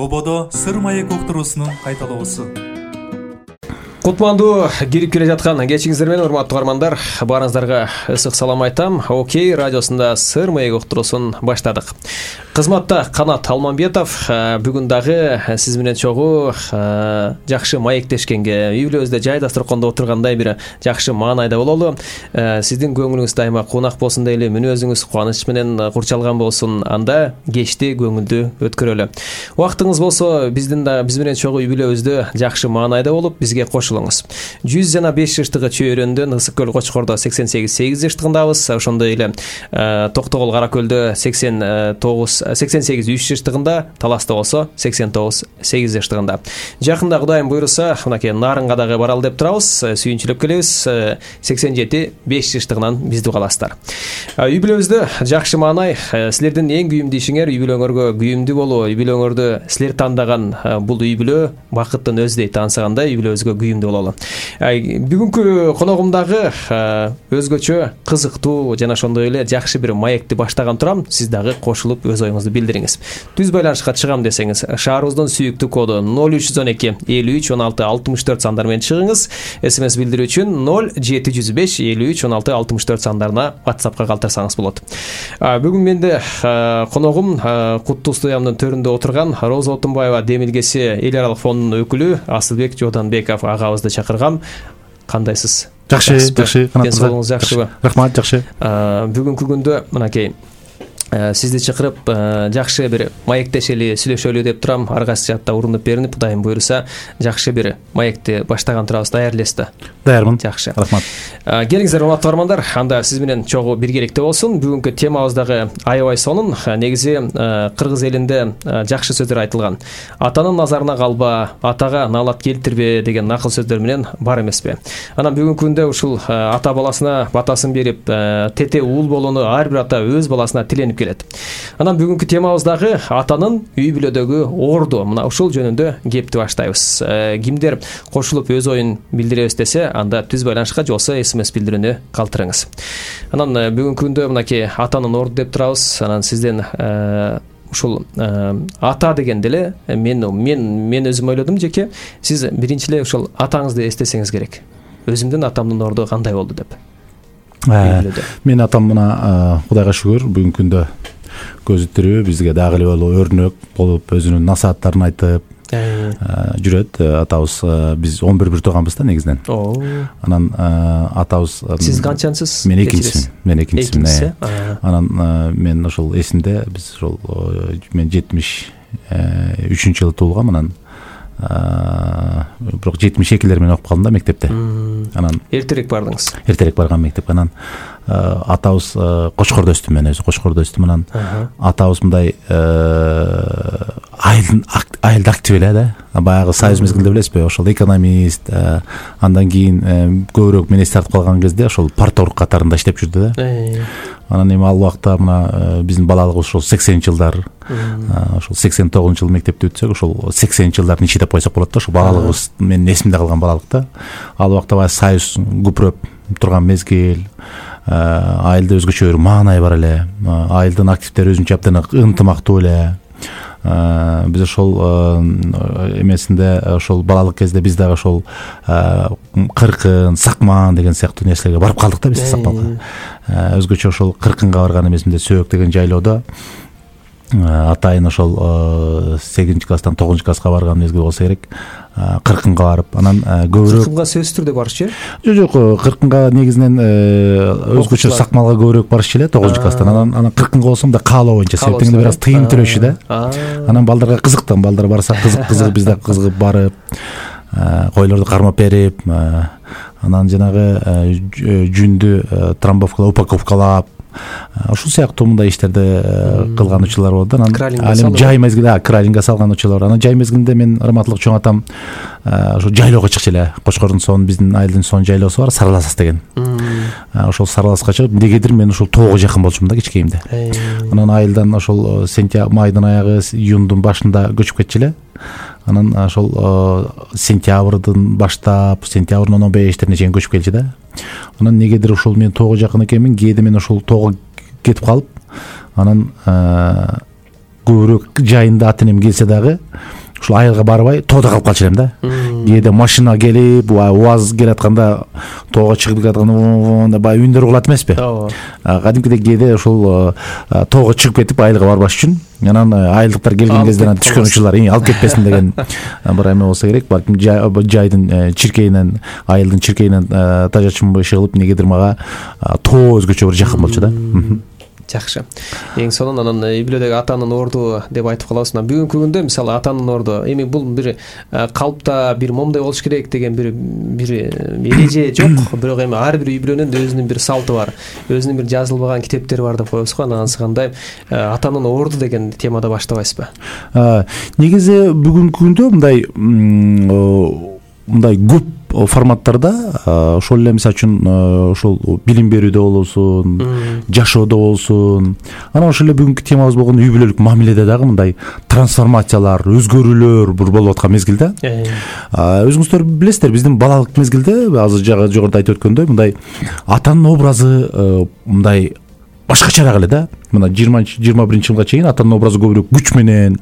Ободо сыр маек уктуруусунун кайталоосу. Кутмандуу кирип келе жаткан кечиңиздер менен урматтуу угармандар, баарыңыздарга ысык салам айтам. Окей радиосунда сыр маек уктуруусун баштадык. Кызматта Канат Алмамбетов. Бүгүн дагы сиз менен чогуу жакшы маектешкенге, үй бүлөбүздө жай дасторкондо отургандай бир жакшы маанайда бололу. Сиздин көңүлүңүз дайыма кунак болсун дейли, мүнөзүңүз кубаныч менен курчалган болсун. Анда кечти көңүлдүү өткөрөлү. Убактыңыз болсо, биз менен чогуу үй бүлөбүздө жакшы маанайда болуп, бизге кошулуңуз. 100 жана 5 жаштагы чөйрөндөн Ысык көл Кочкордо 88 жаштыгындабыз. Ошондой эле Токтогул Каракөлдө 88 3 жаштыгында, Таласта болсо 89 8 жаштыгында. Жакында Кудайым буйруса, мынакей Нарынга дагы баралы деп турабыз. Сүйүнчүлөп келебиз. 87 5 жаштыгынан бизди угаласыздар. Үй бүлөбүздө жакшы маанай, силердин эң күйүмдүү ишиңер үй бүлөңөргө күйүмдүү болуу, үй бүлөңөрдү силер тандаган бул үй бүлө бакыттын өзүдөй таансагандай үй бүлөбүзгө күйүмдүү бололу. Бүгүнкү коногум дагы өзгөчө кызыктуу жана ошондой эле жакшы бир маекти баштаган турам. Сиз дагы кошулуп өз оюңузду билдириңиз. Түз байланышка чыгам десеңиз, шаарыбыздын сүйүктүү коду 0312 53 16 64 сандар менен чыгыңыз. СМС билдирүү үчүн 0705 53 16 64 сандарына WhatsAppка калтырсаңыз болот. Бүгүн менде коногум Куттуу студиямдын төрүндө отурган Роза Отунбаева Демилгеси эл аралык фондунун өкүлү Асылбек Жоданбеков агабызды чакыргам. Кандайсыз? Жакшы. Денсаулыгыңыз жакшыбы? Рахмат, жакшы. Бүгүнкү күндө мынакей сизди чакырып жакшы бир маектешели, сүйлөшөлү деп турам. Ар кайсы жакта урунуп беринип, Кудайым буйруса, жакшы бир маекти баштаган турабыз. Даярсызбы? Даярмын. Жакшы. Рахмат. Келиңиздер, урматтуу угармандар. Анда сиз менен чогуу биргеликте болсун. Бүгүнкү темабыз дагы аябай сонун. Негизи кыргыз элинде жакшы сөздөр айтылган. Атанын назарына калба, атага налат келтирбе деген накыл сөздөр менен бар эмеспи? Анан бүгүнкү күндө ушул ата баласына батасын берип, тете уул болууну ар бир ата өз баласына тиленип келет. Анан бүгүнкү темабыз дагы атанын үй бүлөдөгү орду. Мына ушул жөнүндө кепти баштайбыз. Кимдер кошулуп өз оюн билдиребиз десе, анда түз байланышка же болбосо СМС билдирүүнү калтырыңыз. Анан бүгүнкү күндө мынакей атанын орду деп турабыз. Анан сизден ушул ата дегенде эле мен өзүм ойлодум жеке. Сиз биринчи эле ушул атаңызды эстесеңиз керек. Өзүмдүн атамдын орду кандай болду деп. Мен атам мына Кудайга шүгүр бүгүнкү күндө көзү тирүү, бизге дагы эле өрнөк болуп, өзүнүн насааттарын айтып жүрөт. Атабыз биз 11 бир тууганбыз да негизинен. Анан атабыз. Сиз канчансыз? Мен экинчисимин. Анан мен ошол эсимде биз ошол мен 73-жылы туулгам. Анан бирок 72-лер менен окуп калдым да мектепте. Анан эртерээк бардыңыз. Эртерээк барган мектепке. Анан атабыз Кочкордо өстүм, мен өзү Кочкордо өстүм. Анан атабыз мындай айылда актив эле да. Баягы союз мезгилинде билесизби, ошол экономист, андан кийин көбүрөөк министр тартып калган кезде ошол парторг катарында иштеп жүрдү да. Анан эми ал убакта мына биздин балалыгыбыз ошол 80-жылдар, ошол 89-жылы мектепти бүтсөк, ошол 80-жылдардын ичи деп койсок болот да. Ошол балалыгыбыз менин эсимде калган балалыкта. Ал убакта баягы союз күпүрөп турган мезгил, айылда өзгөчө бир маанай бар эле. Айылдын активдери өзүнчө абдан ынтымактуу эле. Биз ошол эмесинде ошол балалык кезде биз дагы ошол кыркын, сакман деген сыяктуу нерселерге барып калдык да биз сакмалга. Өзгөчө ошол кыркынга барган эмесинде Сөөк деген жайлоодо атайын ошол 8-класстан 9-класска барган мезгил болсо керек. Кыркынга барып, анан көбүрөөк кыркынга сөзсүз түрдө барышчы? Жок, кыркынга негизинен өзгөчө сакмалга көбүрөөк барышчы эле 9-класстан. Анан кыркынга болсом да каалоо боюнча септиңде бир аз тыйын төлөшчү да. Анан балдарга кызыктан, балдар барса кызык биз да кызыгып барып, койлорду кармап берип, анан жанагы жүндү трамбовкалап, упаковкалап, ушул сыяктуу мындай иштерди кылган учурлар болду. Анан ал жай мезгилде кралинга салган учурлар. Анан жай мезгилинде мен ырматтуулук чоң атам ошо жайлоого чыкчу эле. Кочкордун сон, биздин айылдын сон жайлоосу бар, Саралас деген. Ошол Сараласка чыгып, эмнегедир мен ошол тоого жакын болчумун да кичкейимде. Анан айылдан ошол майдын аягы, июндун башында көчүп кетчү эле. Анан ошол сентябрдын баштап, сентябрдын 15-лерине чейин көчүп келчү да. Анан негедир ошол мен тоого жакын экенмин, кээде мен ошол тоого кетип калып, анан көбүрөөк жайында ата энем келсе дагы ушул айылга барбай тоодо калып калчу элем да. Кээде машина келип, УАЗ келатканда тоого чыгып кетканда баягы үндөр кылат эмеспи? Кадимкидей кээде ушул тоого чыгып кетип айылга барбаш үчүн анан айылдыктар келген кезде түшкөн учурлар алып кетпесин деген бир эме болсо керек. Балким жайдын чиркейинен, айылдын чиркейинен тажачым иши кылып негедир мага тоо өзгөчө бир жакын болчу да. Жакшы. Эң сонун анан үй бүлөдөгү атанын орду деп айтып калабыз. Бүгүнкү күндө мисалы атанын орду эми бул бир калпта бир момундай болуш керек деген бир эреже жок. Бирок эми ар бир үй бүлөнүн өзүнүн бир салты бар, өзүнүн бир жазылбаган китептери бар деп коебуз го. Анысы кандай атанын орду деген темада баштабайсызбы? Негизи бүгүнкү күндө мындай көп форматтарда ошол эле мисалы үчүн ошол билим берүүдө болсун, жашоодо болсун, анан ошол эле бүгүнкү темабыз болгон үй бүлөлүк мамиледе дагы мындай трансформациялар, өзгөрүүлөр болуп аткан мезгил да. Өзүңүздөр билесиздер, биздин балалык мезгилде азыр жогоруда айтып өткөндөй мындай атанын образы мындай башкачараак эле да. Мына 20-21 жылга чейин атанын образы көбүрөөк күч менен,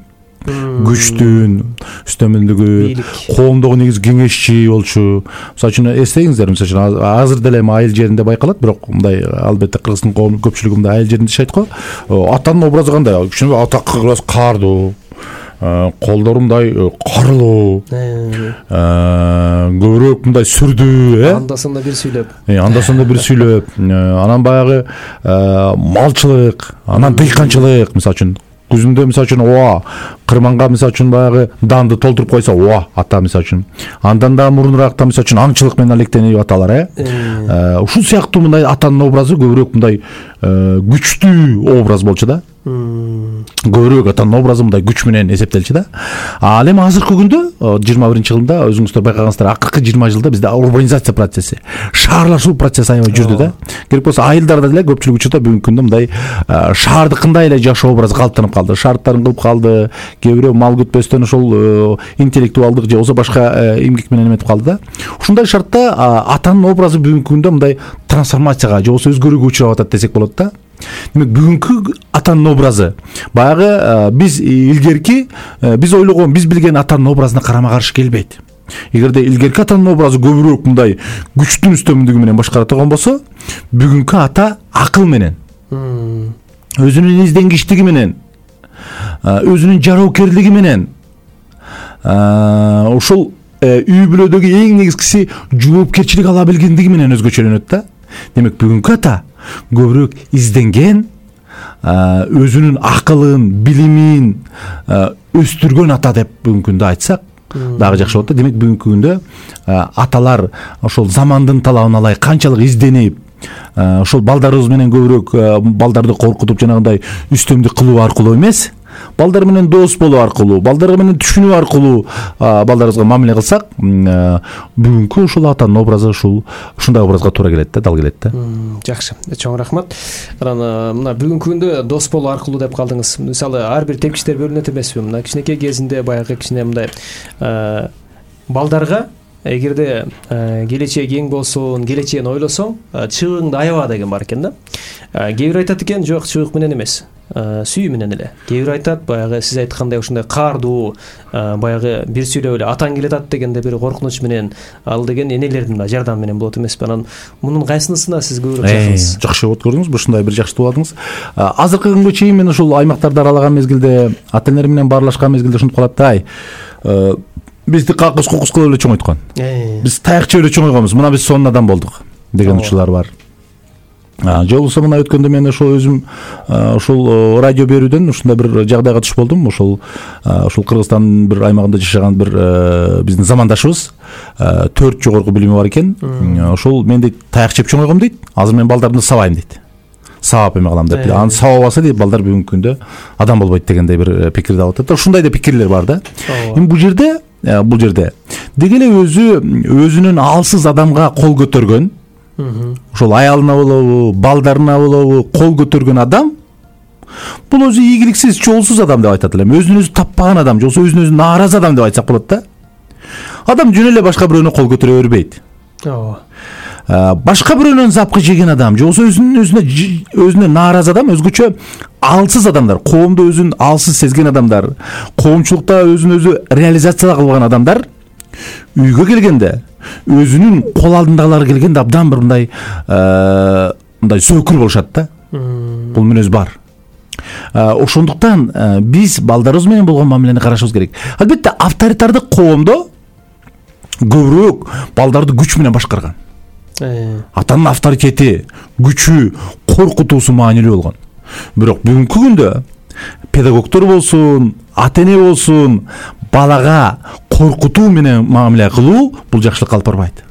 күчтүн үстөмүндөгү, коомдогу негизи кеңешчи болчу. Мисалы үчүн эстеңиздер, мисалы үчүн азыр деле айыл жеринде байкалат, бирок мындай албетте Кыргыздын коом көпчүлүгү мындай айыл жеринде жашайт го. Атанын образы кандай? Кичине атакка кылас каардуу, колдору мындай карылуу, көбүрөөк мындай сүрдүү, андасында бир сүйлөп. Андасында бир сүйлөп, анан баягы малчылык, анан дыйканчылык, мисалы үчүн күзүндө мисалы үчүн кырманга мисалы үчүн баягы данды толтуруп койсо ата мисалы үчүн. Андан да мурунураакта мисалы үчүн аңчылык менен алектенип аталар, ушул сыяктуу мындай атанын образы көбүрөөк мындай күчтүү образ болчу да. Көбүрөөк атанын образы мындай күч менен эсептелчү да. Ал эми азыркы күндө 21 жылда өзүңүздөр байкагансыздар, акыркы 20 жылда бизде урбанизация процесси, шаарлашуу процесси аябай жүрдү да. Керек болсо айылдарда деле көпчүлүк учурда бүгүнкү күндө мындай шаардыкындай эле жашоо образы калыптанып калды. Шаардтарын кылып калды. Кээ бирөө мал күтпөстөн ошол интеллектуалдык же болбосо башка эмгек менен эметип калды да. Ушундай шартта атанын образы бүгүнкү күндө мындай трансформацияга же болбосо өзгөрүүгө учурап атат десек болот да. Демек бүгүнкү атанын образы баягы биз илгерки биз ойлогон, биз билген атанын образына карама каршы келбейт. Эгерде илгерки атанын образы көбүрөөк мындай күчтүн үстөмүндүгү менен башкара турган болсо, бүгүнкү ата акыл менен, өзүнүн изденгичтиги менен, өзүнүн жароокерлиги менен ошол үй бүлөдөгү эң негизгиси жоопкерчилик ала билгендиги менен өзгөчөлөнөт да. Демек бүгүнкү ата көбүрөөк изденген, өзүнүн акылын, билимин өстүргөн ата деп бүгүнкү күндө айтсак дагы жакшы болот да. Демек бүгүнкү күндө аталар ошол замандын талабына ылайык канчалык изденип, ошол балдарыбыз менен көбүрөөк балдарды коркутуп жанагындай үстөмдүк кылуу аркылуу эмес, балдар менен дос болуу аркылуу, балдар менен түшүнүү аркылуу балдарыбызга мамиле кылсак, бүгүнкү ушул атанын образы ушундай образга туура келет да, дал келет да. Жакшы, чоң рахмат. Анан мына бүгүнкү күндө дос болуу аркылуу деп калдыңыз. Мисалы ар бир тепкичтер бөлүнөт эмеспи? Мына кичинекей кезинде баягы кичине мындай балдарга эгерде келечек эң болсун, келечегин ойлосоң, чыбыгыңды аяба деген бар экен да. Кээ бир айтат экен, жок, чыбык менен эмес, сүйүү менен эле. Кээ бир айтат, баягы сиз айткандай ушундай каардуу, баягы бир сүйлөп эле атаң келатат дегенде бир коркунуч менен, ал деген энелердин жардамы менен болот эмеспи? Анан мунун кайсынысына сиз көбүрөөк жакынсыз? Жакшы болуп көрдүңүз, ушундай бир жакшы тууладыңыз. Азыркы күнгө чейин мен ушул аймактарды аралаган мезгилде, ата энелер менен баарлашкан мезгилде ушинтип калат да, бизди какус кукус кылып эле чоңойткон. Биз таяк жеп эле чоңойгонбуз. Мына биз сонун адам болдук деген учурлар бар. Же болбосо мына өткөндө мен ошол өзүм ошол радио берүүдөн ушундай бир жагдайга туш болдум. Ошол Кыргызстандын бир аймагында жашаган бир биздин замандашыбыз 4 жогорку билими бар экен. Ошол мен дейт таяк жеп чоңойгом дейт. Азыр мен балдарымды сабайм дейт. Сабап эме кылам деп. Аны сабабаса дейт, балдар бүгүнкү күндө адам болбойт дегендей бир пикирди алып атат. Ушундай да пикирлер бар да. Эми бул жерде деги эле өзүнүн алсыз адамга кол көтөргөн, ошол аялына болобу, балдарына болобу кол көтөргөн адам, бул өзү ийгиликсиз, чоолсуз адам деп айтат элем. Өзүн өзү таппаган адам, же болбосо өзүн өзү нааразы адам деп айтсак болот да. Адам жөн эле башка бирөөнү кол көтөрө бербейт. башка бирөөнөн запкы жеген адам же болбосо өзүнө нааразы адам, өзгөчө алсыз адамдар, коомдо өзүн алсыз сезген адамдар, коомчулукта өзүн өзү реализация кылган адамдар үйгө келгенде, өзүнүн кол алдындагылар келгенде абдан бир мындай сөкүр болушат да. Бул мүнөз бар. Ошондуктан биз балдарыбыз менен болгон мамилени карашыбыз керек. Албетте авторитардык коомдо көбүрөөк балдарды күч менен башкарган. Атанын авторитети, күчү, коркутуусу маанилүү болгон. Бирок бүгүнкү күндө педагогдор болсун, ата-эне болсун, балага коркутуу менен мамиле кылуу бул жакшылыкка алып барбайт.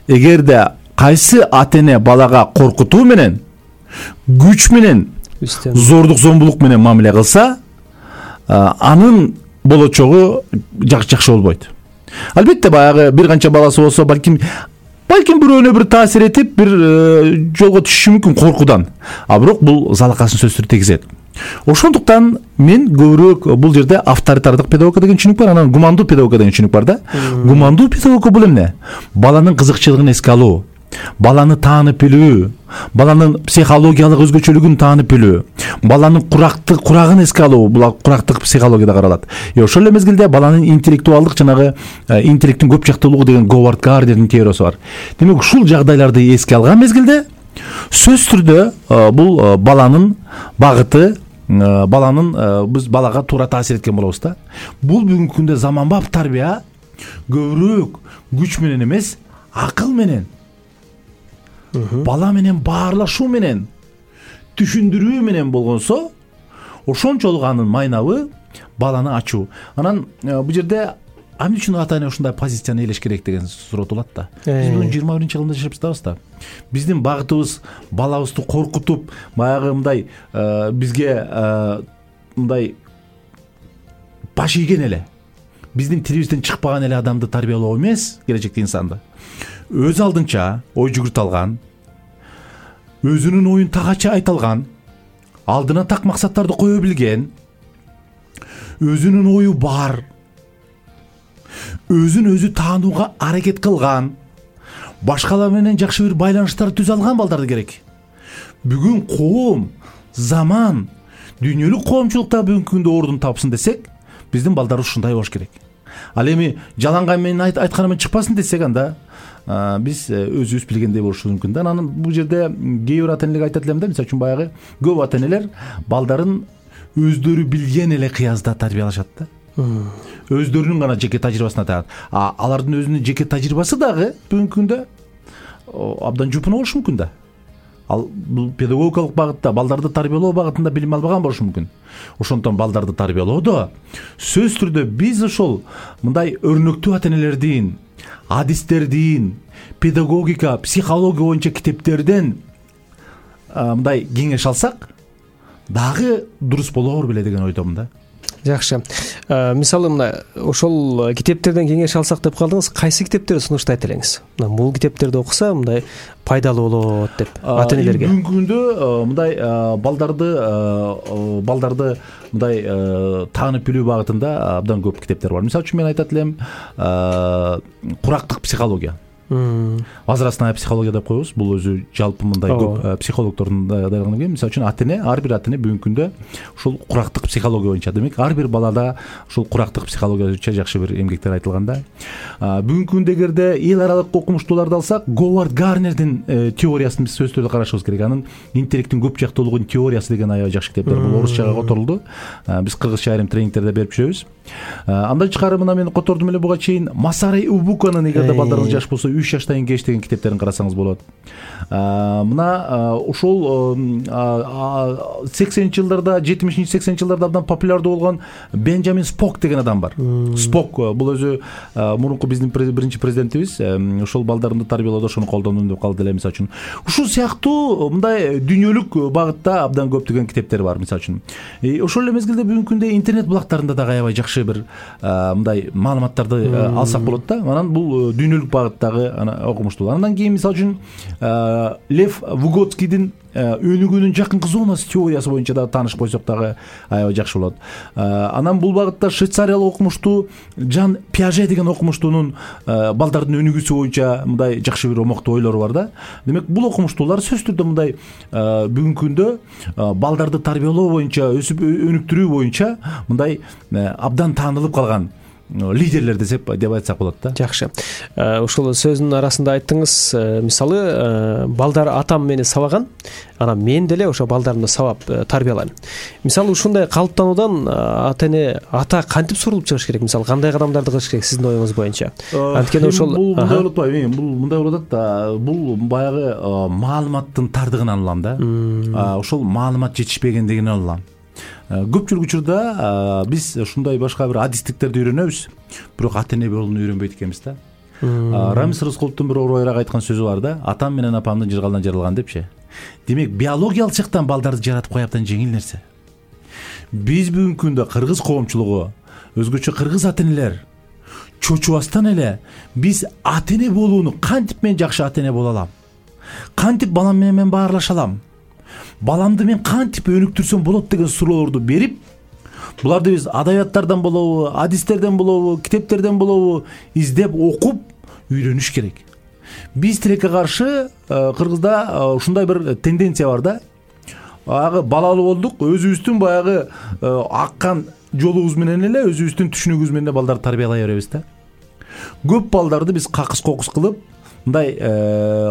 Эгерде кайсы ата-эне балага коркутуу менен, күч менен, зордук зомбулук менен мамиле кылса, анын болочогу жакшы болбойт. Албетте баягы бир канча баласы болсо, балким бирөөнө бир таасир этип, бир жолго түшүшү мүмкүн коркуудан. Бирок бул залакасын сөзсүз түрдө тийгизет. Ошондуктан мен көбүрөөк бул жерде авторитардык педагогика деген түшүнүк бар, анан гумандуу педагогика деген түшүнүк бар да. Гумандуу педагогика бул эмне? Баланын кызыкчылыгын эске алуу, баланы таанып билүү, баланын психологиялык өзгөчөлүгүн таанып билүү, баланын курагын эске алуу, бул курактык психологияда каралат. Ошол эле мезгилде баланын интеллектуалдык жанагы интеллекттин көп жактуулугу деген Говард Гарднердин теориясы бар. Демек ушул жагдайларды эске алган мезгилде сөзсүз түрдө бул баланын багыты, биз балага туура таасир эткен болобуз да. Бул бүгүнкү күндө заманбап тарбия көбүрөөк күч менен эмес, акыл менен, бала менен баарлашуу менен, түшүндүрүү менен болгонсо, ошончолук анын майнабы баланы ачуу. Анан бул жерде эмне үчүн ата-эне ушундай позицияны ээлеш керек деген суротулат да. Биз бүгүн 21-кылымда жашап жатабыз да. Биздин багытыбыз балабызды коркутуп, баягы мындай бизге мындай баш ийген эле, биздин тилибизден чыкпаган эле адамды тарбиялоо эмес, келечекте инсанды. Өз алдынча ой жүгүртө алган, өзүнүн оюн тагача айта алган, алдына так максаттарды кое билген, өзүнүн ою бар, өзүн өзү таанууга аракет кылган, башкалар менен жакшы бир байланыштар түзө алган балдарды керек. Бүгүн коом, заман, дүйнөлүк коомчулукта бүгүнкү күндө ордун тапсын десек, биздин балдарыбыз ушундай болуш керек. Ал эми жалаңгай менен айтканым чыкпасын десек, анда биз өзүбүз билгендей болушубуз мүмкүн да. Анан бул жерде кээ бир ата-энелерге айтат элем да, мисалы үчүн баягы көп ата-энелер балдарын өздөрү билген эле кыязда тарбиялашат да. Өздөрүнүн гана жеке тажрыйбасына таянат. Алардын өзүнүн жеке тажрыйбасы дагы бүгүнкү күндө абдан жупуна болушу мүмкүн да. Ал бул педагогикалык багытта, балдарды тарбиялоо багытында билим албаган болушу мүмкүн. Ошондон балдарды тарбиялоодо сөзсүз түрдө биз ошол мындай өрнөктүү ата-энелердин, адистердин, педагогика, психология боюнча китептерден мындай кеңеш алсак, дагы дурус болоор беле деген ойдомун да. Жакшы. Мисалы мына ошол китептерден кеңеш алсак деп калдыңыз. Кайсы китептерди сунуштайт элеңиз? Мына бул китептерди окуса мындай пайдалуу болот деп ата-энелерге. Бүгүнкү күндө мындай балдарды мындай таанып билүү багытында абдан көп китептер бар. Мисалы үчүн мен айтат элем, курактык психология. Возрастная психология деп коебуз. Бул өзү жалпы мындай көп психологдордун даярдаган экен. Мисалы үчүн ата-эне, ар бир ата-эне бүгүнкү күндө ушул курактык психология боюнча, демек ар бир балада ушул курактык психология боюнча жакшы бир эмгектер айтылган да. Бүгүнкү күндө эгерде эл аралык окумуштууларды алсак, Говард Гарднердин теориясын биз сөзсүз түрдө карашыбыз керек. Анын интеллекттин көп жактуулугунун теориясы деген аябай жакшы китептер. Бул орусчага которулду. Биз кыргызча айрым тренингтерде берип жүрөбүз. Андан тышкары мына мен котордум эле буга чейин Масари Убуканын, эгерде балдарыңыз жаш болсо 3 жаштан кийин деген китептерин карасаңыз болот. Мына ошол 80-жылдарда, 70-80 жылдарда абдан популярдуу болгон Бенджамин Спок деген адам бар. Спок бул өзү мурунку биздин биринчи президентибиз. Ошол балдарымды тарбиялоодо ошону колдондум деп калды эле, мисалы үчүн. Ушул сыяктуу мындай дүйнөлүк багытта абдан көптөгөн китептер бар, мисалы үчүн. Ошол эле мезгилде бүгүнкү күндө интернет булактарында дагы аябай жакшы бир мындай маалыматтарды алсак болот да. Анан бул дүйнөлүк багыттагы дагы окумуштуу. Андан кийин мисалы үчүн Лев Выготскийдин өнүгүүнүн жакынкы зонасы теориясы боюнча дагы таанышып койсок дагы аябай жакшы болот. Анан бул багытта швейцариялык окумуштуу Жан Пиаже деген окумуштуунун балдардын өнүгүүсү боюнча мындай жакшы бир омоктуу ойлору бар да. Демек бул окумуштуулар сөзсүз түрдө мындай бүгүнкү күндө балдарды тарбиялоо боюнча, өсүп өнүктүрүү боюнча мындай абдан таанылып калган лидерлер деп айтсак болот да. Жакшы. Ушул сөзүнүн арасында айттыңыз, мисалы балдар атам мени сабаган, анан мен деле ошо балдарымды сабап тарбиялайм. Мисалы ушундай калыптануудан ата кантип сурулуп чыгыш керек? Мисалы кандай кадамдарды кылыш керек сиздин оюңуз боюнча? Анткени ошол бул мындай болуп атпайбы? Бул мындай болуп атат да. Бул баягы маалыматтын тардыгынан улам да. Ошол маалымат жетишпегендигинен улам. Көпчүлүк учурда биз ушундай башка бир адистиктерди үйрөнөбүз, бирок ата эне болууну үйрөнбөйт экенбиз да. Рамис Рыскуловдун бир оройраак айткан сөзү бар да, атам менен апамдын жыргалдан жаралган депчи. Демек биологиялык жактан балдарды жаратып кой абдан жеңил нерсе. Биз бүгүнкү күндө кыргыз коомчулугу, өзгөчө кыргыз ата энелер чочубастан эле биз ата эне болууну кантип мен жакшы ата эне боло алам, кантип балам менен мен баарлаша алам, баламды мен кантип өнүктүрсөм болот деген суроолорду берип, буларды биз адабияттардан болобу, адистерден болобу, китептерден болобу издеп окуп үйрөнүш керек. Биз тилекке каршы кыргызда ушундай бир тенденция бар да. Баягы балалуу болдук, өзүбүздүн баягы аккан жолубуз менен эле, өзүбүздүн түшүнүгүбүз менен балдарды тарбиялай беребиз да. Көп балдарды биз какыс-кокус кылып, мындай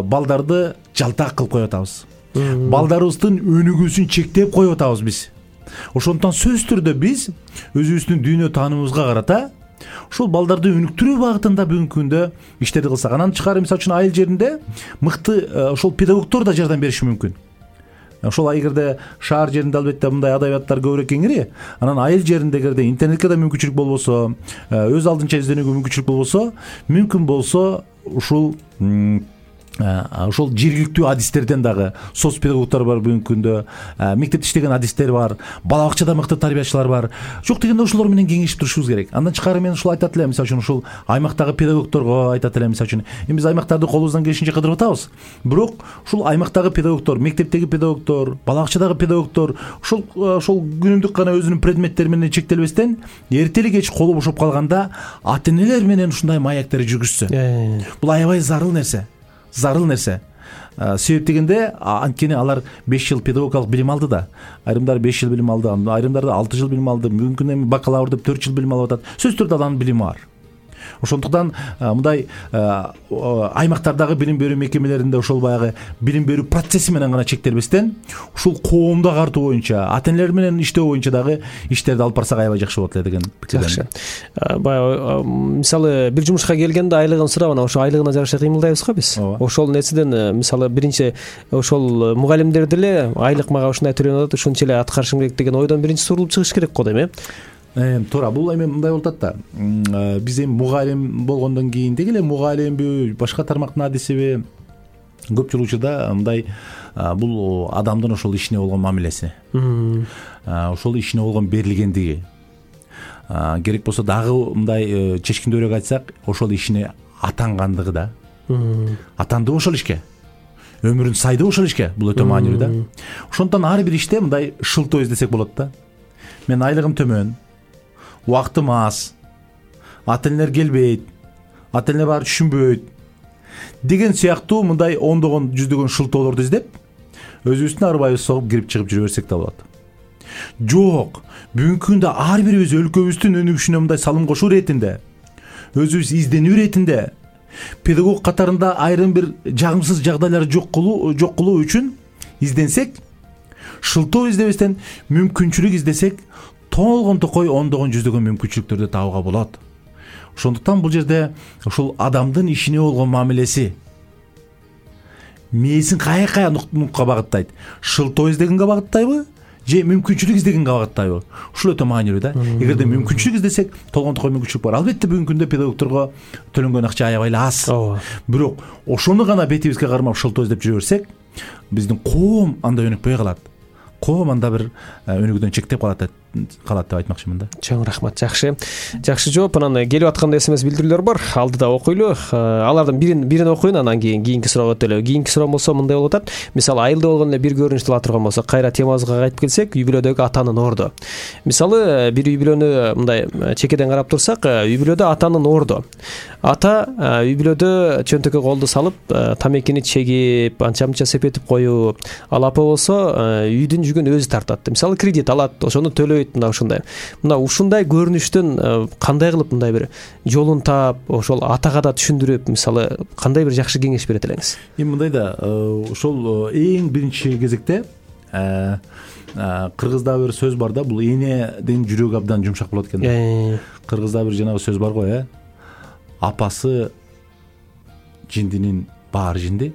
балдарды жалтак кылып коюп атабыз. Балдарыбыздын өнүгүүсүн чектеп коюп атабыз биз. Ошондуктан сөзсүз түрдө биз өзүбүздүн дүйнө таанымыбызга карата ушул балдарды өнүктүрүү багытында бүгүнкү күндө иштерди кылсак, анан тышкары мисалы үчүн айыл жеринде мыкты ошол педагогдор да жардам бериши мүмкүн. Ошол эгерде шаар жеринде албетте мындай адабияттар көбүрөөк кеңири, анан айыл жеринде эгерде интернетке да мүмкүнчүлүк болбосо, өз алдынча изденүүгө мүмкүнчүлүк болбосо, мүмкүн болсо ушул жергиликтүү адистерден дагы соц педагогдор бар бүгүнкү күндө, мектепте иштеген адистер бар, бала бакчада мыкты тарбиячылар бар. Жок дегенде ошолор менен кеңешип турушубуз керек. Андан тышкары мен ушул айтат элем, мисалы үчүн ушул аймактагы педагогдорго айтат элем, мисалы үчүн эми биз аймактарды колубуздан келишинче кыдырып атабыз. Бирок ушул аймактагы педагогдор, мектептеги педагогдор, бала бакчадагы педагогдор ошол күнүмдүк гана өзүнүн предметтери менен чектелбестен, эртели кеч колу бошоп калганда ата энелер менен ушундай маектерди жүргүзсө. Бул аябай зарыл нерсе. Себеп дегенде анткени алар 5 жыл педагогикалык билим алды да. Айрымдары 5 жыл билим алды, айрымдары 6 жыл билим алды, мүмкүн эми бакалавр деп 4 жыл билим алып атат. Сөзсүз түрдө алардын билими бар. Ошондуктан мындай аймактардагы билим берүү мекемелеринде ошол баягы билим берүү процесси менен гана чектелбестен, ушул коомду агартуу боюнча, ата энелер менен иштөө боюнча дагы иштерди алып барсак аябай жакшы болот эле деген пикирдемин. Жакшы. Баягы мисалы бир жумушка келгенде айлыгын сурап, анан ошо айлыгына жараша кыймылдайбыз го биз. Ошол нерседен мисалы биринчи ошол мугалимдер деле айлык мага ушундай төлөнүп атат, ушунча эле аткарышым керек деген ойдон биринчи сурулуп чыгыш керек го дейм. Туура, бул эми мындай болуп атат да. Биз эми мугалим болгондон кийин деги эле мугалимби, башка тармактын адисиби, көпчүлүк учурда мындай бул адамдын ошол ишине болгон мамилеси, ошол ишине болгон берилгендиги, керек болсо дагы мындай чечкиндөөрөөк айтсак, ошол ишине атангандыгы да. Атанды ошол ишке, өмүрүн сайды ошол ишке, бул өтө маанилүү да. Ошондуктан ар бир иште мындай шылтоо издесек болот да. Мен айлыгым төмөн, убактым аз, ата энелер келбейт, ата энелер баары түшүнбөйт деген сыяктуу мындай ондогон жүздөгөн шылтоолорду издеп, өзүбүздүн арбайыбызды согуп кирип чыгып жүрө берсек да болот. Жок, бүгүнкү күндө ар бирибиз өлкөбүздүн өнүгүшүнө мындай салым кошуу иретинде, өзүбүз изденүү иретинде, педагог катарында айрым бир жагымсыз жагдайлар жок кылуу үчүн изденсек, шылтоо издебестен мүмкүнчүлүк издесек, толгон токой ондогон жүздөгөн мүмкүнчүлүктөрдү табууга болот. Ошондуктан бул жерде ушул адамдын ишине болгон мамилеси мээсин каяка нукка багыттайт? Шылтоо издегенге багыттайбы же мүмкүнчүлүк издегенге багыттайбы? Ушул өтө маанилүү да. Эгерде мүмкүнчүлүк издесек, толгон токой мүмкүнчүлүк бар. Албетте бүгүнкү күндө педагогдорго төлөнгөн акча аябай эле аз. Бирок ошону гана бетибизге кармап шылтоо издеп жүрө берсек, биздин коом анда өнүкпөй калат. Коом анда бир өнүгүүдөн чектеп калат калат деп айтмакчымын да. Чоң рахмат. Жакшы жооп. Анан келип аткан SMS билдирүүлөр бар. Алдыда окуйлу. Алардын бирин окуйн, анан кийинки суроого өтөлү. Кийинки суроо болсо мындай болуп атат. Мисалы айылда болгон эле бир көрүнүштү ала турган болсок, кайра темабызга кайтып келсек, үй бүлөдөгү атанын орду. Мисалы бир үй бүлөнү мындай чекеден карап турсак, үй бүлөдө атанын орду. Ата үй бүлөдө чөнтөккө колду салып, тамекини чегип, анча-мынча сепетип коюп, ал апа болсо үйдүн жүгүн өзү тартат. Мисалы кредит алат, ошону төлөйт, мына ушундай. Мына ушундай көрүнүштөн кандай кылып мындай бир жолун таап, ошол атага да түшүндүрүп, мисалы кандай бир жакшы кеңеш берет элеңиз? Эми мындай да, ошол эң биринчи кезекте кыргызда бир сөз бар да, бул энедин жүрөгү абдан жумшак болот экен да. Кыргызда бир жанагы сөз бар го, апасы жиндинин баары жинди,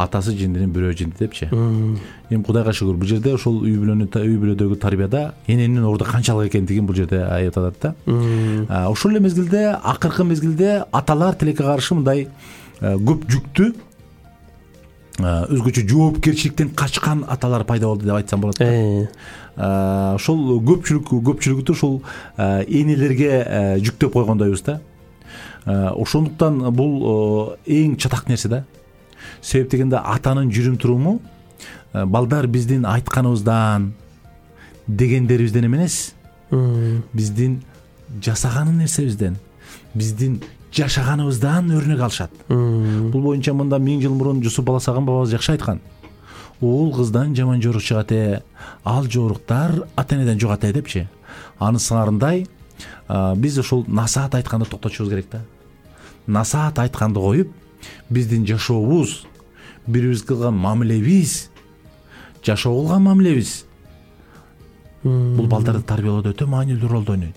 атасы жиндинин бирөө жинди депчи. Эми Кудайга шүгүр, бул жерде ошол үй бүлөдөгү тарбияда эненин орду канчалык экендигин бул жерде айтып атат да. Ошол эле мезгилде, акыркы мезгилде аталар тилекке каршы мындай көп жүктү, өзгөчө жоопкерчиликтен качкан аталар пайда болду деп айтсам болот да. Ошол көпчүлүгү ошол энелерге жүктөп койгондойбуз да. Ошондуктан бул эң чатак нерсе да. Себеп дегенде атанын жүрүм туруму балдар биздин айтканыбыздан, дегендерибизден эмес, биздин жасаган нерсебизден, биздин жашаганыбыздан өрнөк алышат. Бул боюнча мында 1000 жыл мурун Жусуп Баласаган бабабыз жакшы айткан. Уул кыздан жаман жорук чыгат, ал жоруктар ата энеден жугат депчи. Аны сыңарындай биз ошол насаат айтканды токтотушубуз керек да. Насаат айтканды коюп, биздин жашообуз, бирибизге кылган мамилебиз, жашоого кылган мамилебиз бул балдарды тарбиялоодо өтө маанилүү ролду ойнойт.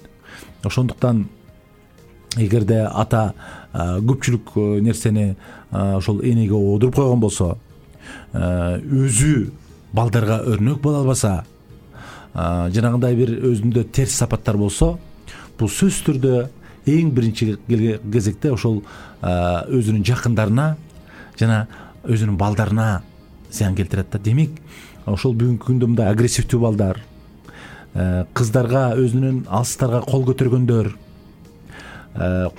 Ошондуктан эгерде ата көпчүлүк нерсени ошол энеге оодуруп койгон болсо, өзү балдарга өрнөк боло албаса, жанагындай бир өзүндө терс сапаттар болсо, бул сөзсүз түрдө эң биринчи кезекте ошол өзүнүн жакындарына жана өзүнүн балдарына зыян келтирет да. Демек, ошол бүгүнкү күндө мындай агрессивдүү балдар, кыздарга өзүнүн алыстарга кол көтөргөндөр,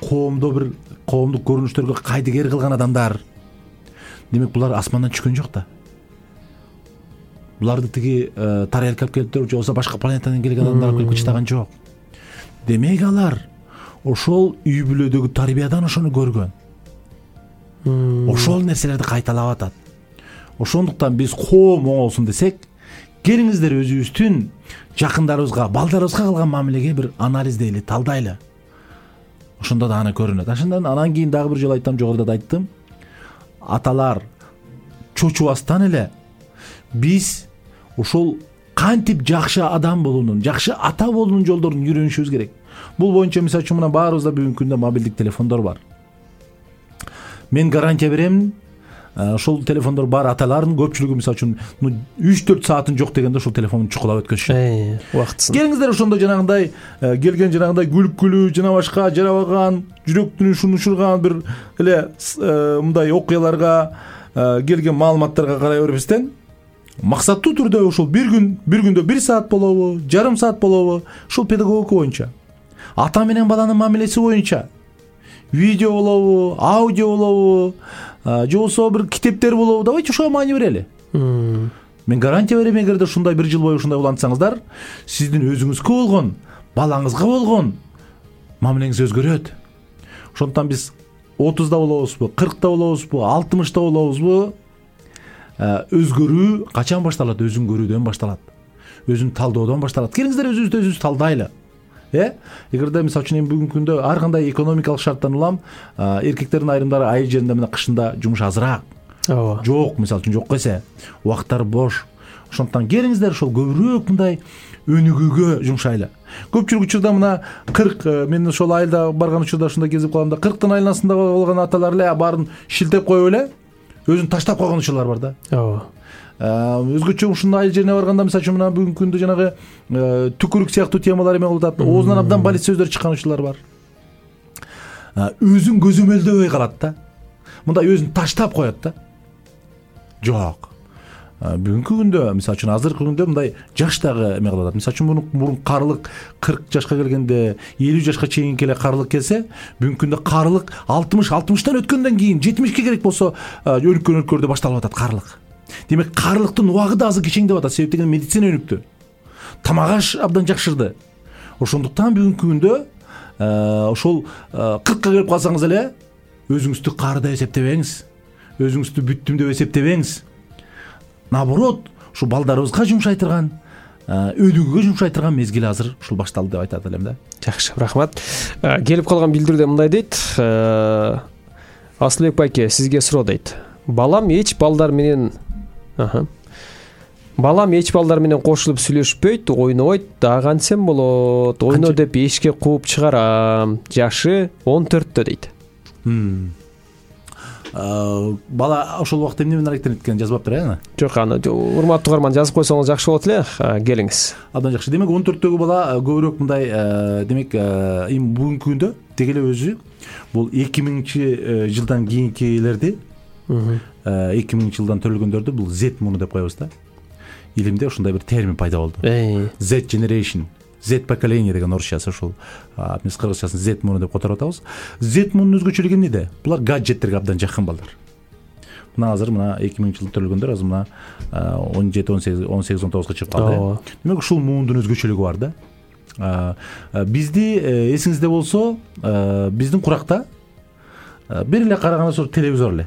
коомдук көрүнүштөргө кайдыгер кылган адамдар, демек булар асмандан түшкөн жок да. Буларды тиги тарелка алып келиптер же болбосо башка планетадан келген адамдар алып келип кычтаган жок. Демек алар ошол үй бүлөдөгү тарбиядан ошону көргөн. Ошол нерселерди кайталап атат. Ошондуктан биз коом оңолсун десек, келиңиздер өзүбүздүн жакындарыбызга, балдарыбызга кылган мамилеге бир анализдейли, талдайлы. Ошондо да аны көрүнөт. Анан кийин дагы бир жолу айтам, жогоруда да айттым. Аталар чочубастан эле биз ошол кантип жакшы адам болуунун, жакшы ата болуунун жолдорун үйрөнүшүбүз керек. Бул боюнча мисалы үчүн мына баарыбызда бүгүнкү күндө мобилдик телефондор бар. Мен гарантия берем, ошол телефондор бар аталардын көпчүлүгү мисалы үчүн 3-4 саатын жок дегенде ошол телефонун чукулап өткөзүшөт. Убактысын. Келиңиздер ошондо жанагындай келген жанагындай күлкүлүү жана башка жарабаган, жүрөктүн ушурган бир эле мындай окуяларга келген маалыматтарга карай бербестен, максаттуу түрдө ошол бир күндө 1 саат болобу, жарым саат болобу, ошол педагогика боюнча, ата менен баланын мамилеси боюнча видео болобу, аудио болобу, же болбосо бир китептер болобу, давайте ошого маани берели. Мен гарантия берем, эгерде ушундай 1 жыл бою ушундай улантсаңыздар, сиздин өзүңүзгө болгон, балаңызга болгон мамилеңиз өзгөрөт. Ошондуктан биз 30да болобузбу, 40да болобузбу, 60да болобузбу, өзгөрүү качан башталат? Өзүн көрүүдөн башталат. Өзүн талдоодон башталат. Келиңиздер өзүбүздү талдайлы. Эгерде мисалы үчүн бүгүнкү күндө ар кандай экономикалык шарттан улам эркектердин айрымдары айыл жеринде мына кышында жумуш азыраак. Жок, мисалы үчүн жок эсе, убакыттары бош. Ошондуктан келиңиздер ошол көбүрөөк мындай өнүгүүгө жумшайлы. Көпчүлүк учурда мына 40, мен ошол айылда барган учурда ушундай кезип калам да, 40тын айланасында болгон аталар эле баарын шилтеп коюп эле өзүн таштап койгон учурлар бар да. Өзгөчө ушундай айыл жерине барганда мисалы үчүн мына бүгүнкү күндө жанагы түкүрүк сыяктуу темалар эме болуп атат. Оозунан абдан балет сөздөр чыккан учурлар бар. Өзүн көзөмөлдөбөй калат да. Мындай өзүн таштап коет да. Жок. Бүгүнкү күндө мисалы үчүн азыркы күндө мындай жаштагы эме кылып атат. Мисалы үчүн мурун карылык 40 жашка келгенде, 50 жашка чейинки эле карылык келсе, бүгүнкү күндө карылык 60-60тан өткөндөн кийин 70ке керек болсо өнүккөн өлкөлөрдө башталып атат карылык. Демек карылыктын убагы да азыр кичеңдеп атат. Себеп деген медицина өнүктү. Тамак аш абдан жакшырды. Ошондуктан бүгүнкү күндө ошол 40ка келип калсаңыз эле өзүңүздү кары деп эсептебеңиз. Өзүңүздү бүттүм деп эсептебеңиз. Наоборот, ушу балдарыбызга жумшай турган, өнүгүүгө жумшай турган мезгил азыр ушул башталды деп айтат элем да. Жакшы, рахмат. Келип калган билдирүүдө мындай дейт. Асылбек байке, сизге суроо дейт. Балам эч балдар менен кошулуп сүйлөшпөйт, ойнобойт. Дагы кантсем болот? Ойно деп эшикке кууп чыгарам. Жашы 14тө дейт. Бала ошол убакта эмне менен аракеттенет экен жазбаптыр, э? Жок, аны урматтуу угарман жазып койсоңуз жакшы болот эле. Келиңиз. Абдан жакшы. Демек 14төгү бала көбүрөөк мындай, демек эми бүгүнкү күндө деги эле өзү бул 2000-жылдан кийинкилерди, 2000 жылдан төрөлгөндөрдү бул Z муну деп коебуз да. Илимде ушундай бир термин пайда болду. Z generation, Z поколение деген орусчасы ушул. Биз кыргызчасын Z муну деп которуп атабыз. Z мунун өзгөчөлүгү эмнеде? Булар гаджеттерге абдан жакын балдар. Мына азыр 2000 жылы төрөлгөндөр азыр 17, 18, 19га чыгып калды. Демек ушул муундун өзгөчөлүгү бар да. Бизди эсиңизде болсо, биздин куракта бир эле караганыбыз телевизор эле.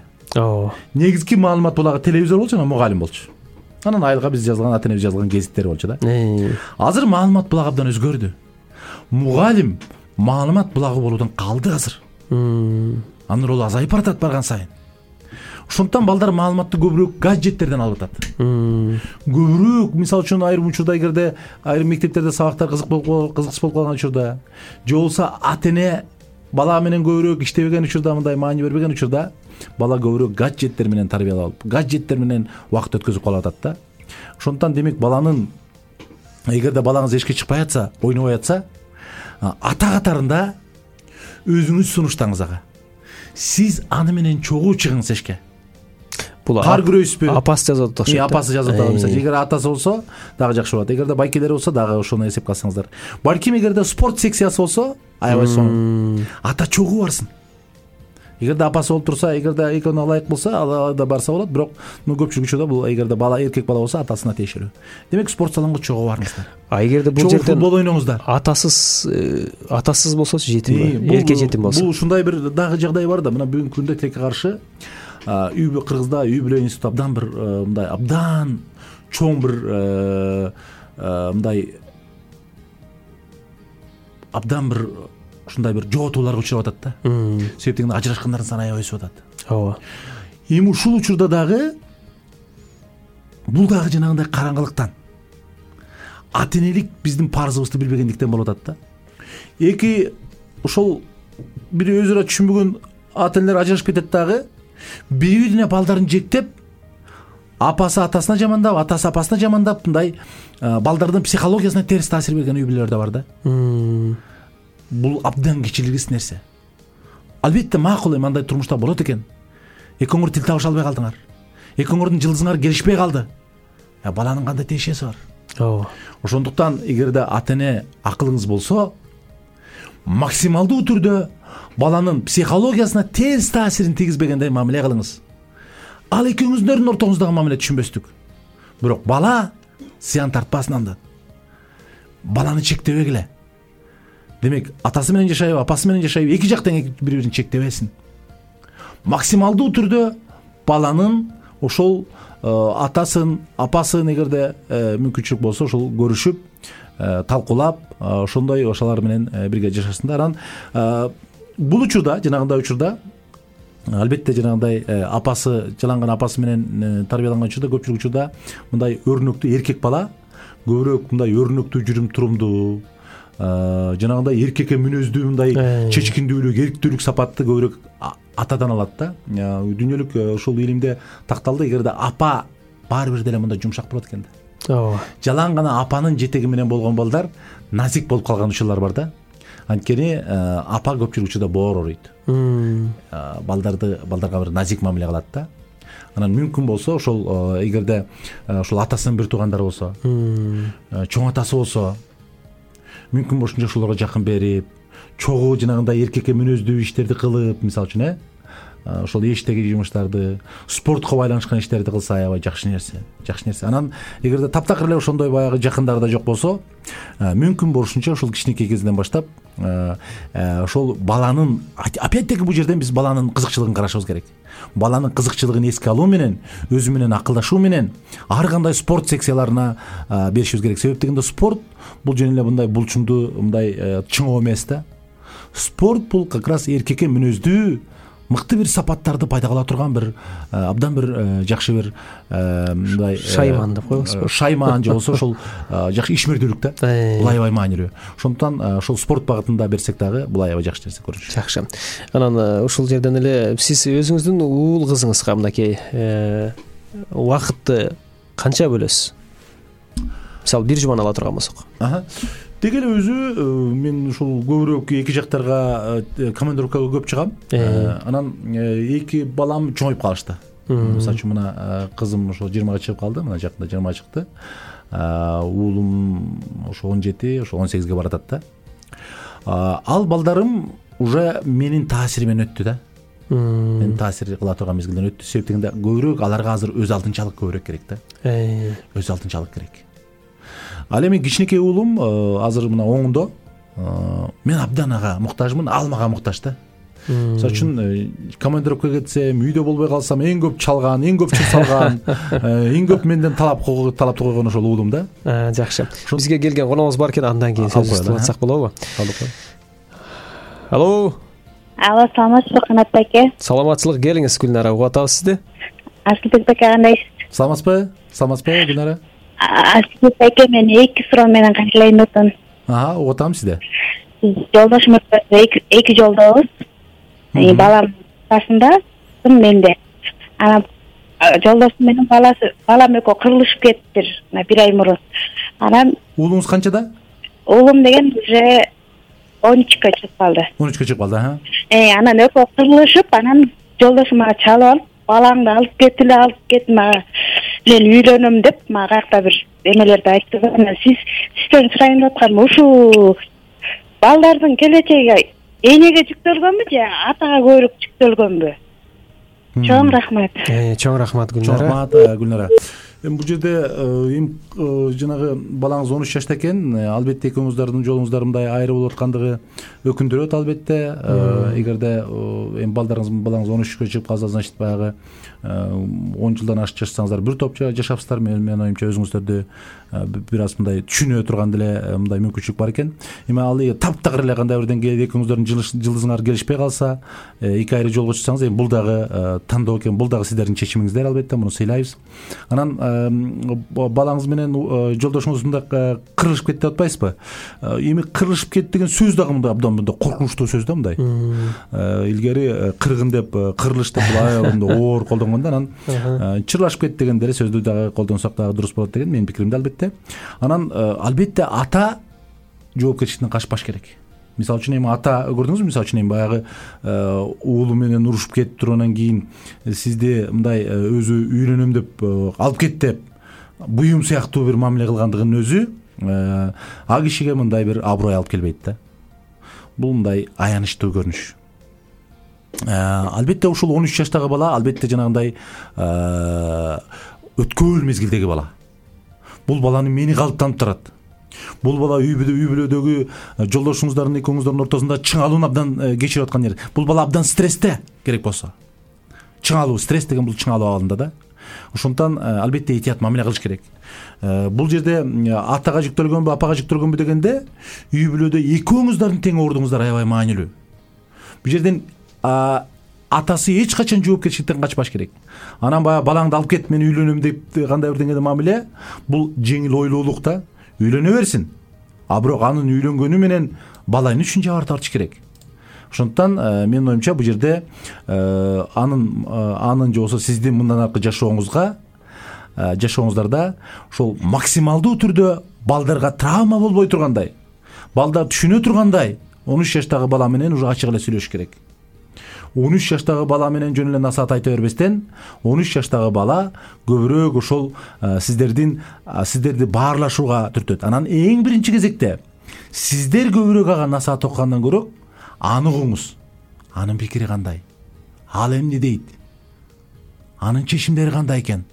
Негизги маалымат булагы телевизор болчу, анан мугалим болчу. Анан айылга биз жазган, ата-энебиз жазган гезиттер болчу да. Азыр маалымат булагы абдан өзгөрдү. Мугалим маалымат булагы болуудан калды азыр. Анын ролу азайып баратат барган сайын. Ошондуктан балдар маалыматты көбүрөөк гаджеттерден алып атат. Көбүрөөк, мисалы үчүн айрым учурда эгерде айрым мектептерде сабактар кызыксыз болуп калган учурда, же болбосо ата-эне бала менен көбүрөөк иштебеген учурда, мындай маани бербеген учурда, бала көбүрөөк гаджеттер менен тарбиялалып, гаджеттер менен убакыт өткөзүп калып атат да. Ошондуктан демек баланын, эгерде балаңыз эшикке чыкпай атса, ойнобой атса, ата катарында өзүңүз сунуштаңыз ага. Сиз аны менен чогуу чыгыңыз эшикке. Бул кар күрөйсүзбү? Апасы жазып атат окшойт. Апасы жазып атат. Мисалы, эгер атасы болсо, дагы жакшы болот. Эгерде байкелери болсо, дагы ошону эсепке алсаңыздар. Балким эгерде спорт секциясы болсо, аябай сонун. Ата чогуу барсын. Эгерде апасы болуп турса, эгерде экөөнө ылайык болсо, ала да барса болот, бирок көпчүлүк учурда бул эгерде бала эркек бала болсо, атасына тиешелүү. Демек спорт залынга чогуу барыңыздар. Эгерде бул жерден футбол ойноңуздар. Атасыз болсочу, жетим, эрке жетим болсо. Бул ушундай бир дагы жагдай бар да, мына бүгүнкү күндө тилекке каршы Кыргызда үй бүлө институту абдан бир мындай абдан чоң бир мындай абдан бир ушундай бир жоотууларга учурап атат да. Себеп дегенде ажырашкандардын саны аябай өсүп атат. Ооба. Эми ушул учурда дагы бул дагы жанагындай караңгылыктан, ата-энелик биздин парзыбызды билбегендиктен болуп атат да. Эки ошол бир өзүрө түшүнбөгөн ата-энелер ажырашып кетет дагы, бири-бирине балдарын жектеп, апасы атасына жамандап, атасы апасына жамандап, мындай балдардын психологиясына терс таасир берген үй бүлөлөр да бар да. Бул абдан кечирилгис нерсе. Албетте макул эми андай турмушта болот экен. Экөөңөр тил табыша албай калдыңар. Экөөңөрдүн жылдызыңар келишпей калды. Баланын кандай тиешеси бар? Ооба. Ошондуктан эгерде ата-эне акылыңыз болсо, максималдуу түрдө баланын психологиясына терс таасирин тийгизбегендей мамиле кылыңыз. Ал экөөңүздөрдүн ортоңуздагы мамиле түшүнбөстүк. Бирок бала зыян тартпасын андан. Баланы чектебегиле. Демек, атасы менен жашайбы, апасы менен жашайбы, эки жактан бири-бирин чектебесин. Максималдуу түрдө баланын ошол атасын, апасын эгерде мүмкүнчүлүк болсо, ошол көрүшүп, талкуулап, ошондой ошолар менен бирге жашасындар. Анан бул учурда, жанагындай учурда, албетте жанагындай апасы, жаланган апасы менен тарбияланган учурда, көпчүлүк учурда мындай өрнөктүү эркек бала көбүрөөк мындай өрнөктүү жүрүм турумдуу, жанагындай эркекке мүнөздүү, мындай чечкиндүүлүк, эрктүүлүк сапатты көбүрөөк атадан алат да. Дүйнөлүк ушул илимде такталды, эгерде апа баары бир деле мындай жумшак болот экен да. Ооба. Жалаң гана апанын жетеги менен болгон балдар назик болуп калган учурлар бар да. Анткени апа көпчүлүк учурда боор оройт. Балдарга бир назик мамиле кылат да. Анан мүмкүн болсо ошол эгерде ошол атасынын бир туугандары болсо, чоң атасы болсо, мүмкүн болушунча ошолорго жакын берип, чогуу жанагындай эркекке мүнөздүү иштерди кылып, мисалы үчүн ошол эштеги жумуштарды, спортко байланышкан иштерди кылса аябай жакшы нерсе. Анан эгерде таптакыр эле ошондой баягы жакындары да жок болсо, мүмкүн болушунча ошол кичинекей кезинен баштап ошол баланын, опять-таки бул жерден биз баланын кызыкчылыгын карашыбыз керек. Баланын кызыкчылыгын эске алуу менен, өзү менен акылдашуу менен ар кандай спорт секцияларына беришибиз керек. Себеп дегенде спорт бул жөн эле мындай булчундуу, мындай чыңоо эмес да. Спорт бул как раз эркекке мүнөздүү мыкты бир сапаттарды пайда кыла турган бир абдан бир жакшы бир мындай шайман деп коебузбу, шайман же болбосо ошол жакшы ишмердүүлүк да. Бул аябай маанилүү. Ошондуктан ошол спорт багытында берсек дагы бул аябай жакшы нерсе көрүнүшүп. Жакшы. Анан ушул жерден эле сиз өзүңүздүн уул кызыңызга мынакей убакытты канча бөлөсүз? Мисалы бир жуманы ала турган болсок. Деги эле өзү мен ушул көбүрөөк эки жактарга командировкага көп чыгам. Анан эки балам чоңоюп калышты. Мисалы үчүн мына кызым ошо 20-га чыгып калды, мына жакында 20-га чыкты. Уулум ошо 17, ошо 18-ге баратат да. Ал балдарым уже менин таасиримден өттү да. Мен таасир кыла турган мезгилден өттү. Себеп дегенде көбүрөөк аларга азыр өз алдынчалык көбүрөөк керек да. Өз алдынчалык керек. Ал эми кичинекей уулум азыр мына оңундо. Мен абдан ага муктажмын, ал мага муктаж да. Мисалы үчүн командировкага кетсем, үйдө болбой калсам эң көп чалган, эң көп чыр салган, эң көп менден талапты койгон ошол уулум да. Жакшы. Бизге келген коногубуз бар экен, андан кийин сөз кылсак болобу? Алло. Алло, саламатсызбы Канат байке? Саламатчылык, келиңиз Гүлнара, угуп атабыз сизди. Асылбек байке кандайсыз? Саламатсызбы Гүлнара? Асылбек байке, мен эки суроо менен кантилайын деп атам. Угуп атам сизди. Жолдошум эки жолдобуз. Балам басында, менде. Анан жолдошум менен балам экөө кырылышып кеттир, бир ай мурун. Анан уулуңуз канчада? Уулум деген уже 13-ке чыгып калды. 13-ке чыгып калды, Анан экөө кырылышып, анан жолдошум мага чалып алып, балаңды алып кет, мага мен үйлөнөм деп, мага каякта бир эмелерди айтты. Анан сизден сурайын деп аткам, ушул балдардын келечеги энеге жүктөлгөнбү же атага көбүрөөк жүктөлгөнбү? Чоң рахмат. Чоң рахмат Гүлнара. Чоң рахмат Гүлнара. Бул жерде жанагы балаңыз 13 жашта экен, албетте экөөңүздөрдүн жолуңуздар мындай айры болуп аткандыгы өкүндүрөт албетте. Эгерде балаңыз 13-кө чыгып калса, значит баягы 10 жылдан ашык жашасаңыздар бир топ жашапсыздар. Мен оюмча өзүңүздөрдү бир аз мындай түшүнө турган деле мындай мүмкүнчүлүк бар экен. Эми ал таптакыр эле кандай бир деңгээлде экөөңүздөрдүн жылдызыңар келишпей калса, эки айры жолго чыксаңыз, эми бул дагы тандоо экен, бул дагы сиздердин чечимиңиздер, албетте, муну сыйлайбыз. Анан балаңыз менен жолдошуңуз мындай кырылышып кетти деп атпайсызбы? Эми кырылышып кетти деген сөз дагы мындай абдан коркунучтуу сөз да мындай. Илгери кыргын деп, кырылыш деп аябай оор колдонгон да, анан чырлашып кетти деген деле сөздү дагы колдонсок дагы дурус болот деген менин пикиримде, албетте. Анан албетте ата жоопкерчиликтен качпаш керек. Мисалы үчүн эми ата көрдүңүзбү, мисалы үчүн эми баягы уулу менен урушуп кетип тургандан кийин сизди мындай өзү үйлөнөм деп алып кет деп буюм сыяктуу бир мамиле кылгандыгынын өзү а кишиге мындай бир аброй алып келбейт да. Бул мындай аянычтуу көрүнүш. Албетте ушул 13 жаштагы бала, албетте жанагындай өткөл мезгилдеги бала. Бул баланы мени калыптанып турат. Бул бала үй бүлөдөгү жолдошуңуздардын экөөңүздөрдүн ортосунда чыңалууну абдан кечирип аткан жер. Бул бала абдан стрессте керек болсо. Чыңалуу, стресс деген бул чыңалуу абалында да. Ошондуктан албетте этият мамиле кылыш керек. Бул жерде атага жүктөлгөнбү, апага жүктөлгөнбү дегенде үй бүлөдө экөөңүздөрдүн тең оордуңуздар аябай маанилүү. Бул жерден атасы эч качан жоопкерчиликтен качпаш керек. Анан баягы балаңды алып кет, мен үйлөнөм деп кандай бир деңгээлде мамиле, бул жеңил ойлуулук да. Үйлөнө берсин. А бирок анын үйлөнгөнү менен балайын үчүн жабыр тартыш керек. Ошондуктан менин оюмча бул жерде анын же болбосо сиздин мындан аркы жашооңуздарда ошол максималдуу түрдө балдарга травма болбой тургандай, балдар түшүнө тургандай 13 жаштагы бала менен уже ачык эле сүйлөшүш керек. 13 жаштагы бала менен жөн эле насаат айта бербестен 13 жаштагы бала көбүрөөк ошол сиздерди баарлашууга түртөт. Анан эң биринчи кезекте сиздер көбүрөөк ага насаат окугандан көрө аны угуңуз. Анын пикири кандай? Ал эмне дейт? Анын чечимдери кандай экен?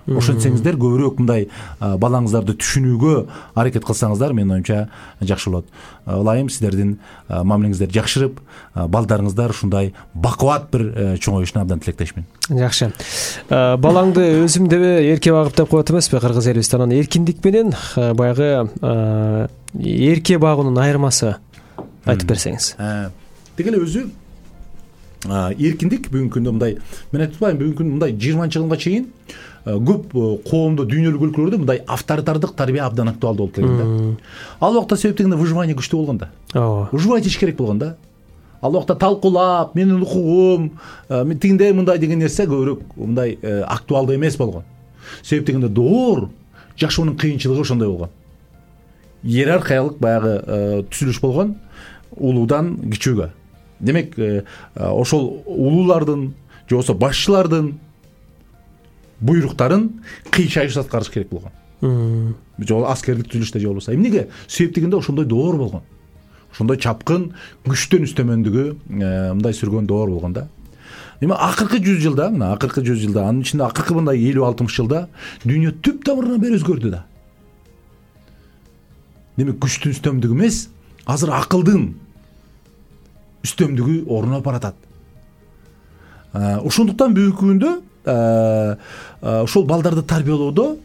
Ошентсеңиздер көбүрөөк мындай балаңыздарды түшүнүүгө аракет кылсаңыздар, менин оюмча жакшы болот. Ылайым сиздердин мамилеңиздер жакшырып, балдарыңыздар ушундай бакубат бир чоңоюшуна абдан тилектешмин. Жакшы. Балаңды өзүм дебе эрке багып деп коет эмеспи кыргыз элибизде? Анан эркиндик менен баягы эрке багуунун айырмасы айтып берсеңиз. Деги эле өзү эркиндик бүгүнкү күндө мындай, мен айтып атпайм, бүгүнкү күндө мындай 20-жылга чейин көп коомдо, дүйнөлүк өлкөлөрдө мындай авторитардык тарбия абдан актуалдуу болуп келген да. Ал убакта себептегенде выживание күчтүү болгон да. Выживать этиш керек болгон да. Ал убакта талкуулап, менин укугум, мен тигиндей мындай деген нерсе көбүрөөк мындай актуалдуу эмес болгон. Себептегенде доор жашоонун кыйынчылыгы ошондой болгон. Иерархиялык баягы түзүлүш болгон улуудан кичүүгө. Демек, ошол улуулардын же болбосо башчылардын буйруктарын кыйшайсыз аткарыш керек болгон. Же аскердик түзүлүштө же болбосо. Эмнеге? Себептегенде ошондой доор болгон. Ошондой чапкын күчтөн үстөмөндүгү мындай сүргөн доор болгон да. Эми акыркы 100 жылда, мына акыркы 100 жылда, анын ичинде акыркы мындай 50-60 жылда дүйнө түп тамырынан бери өзгөрдү да. Демек, күчтүн үстөмдүгү эмес, азыр акылдын үстөмдүгү орнуп баратат. Ошондуктан бүгүнкү күндө ошол балдарды тарбиялоодо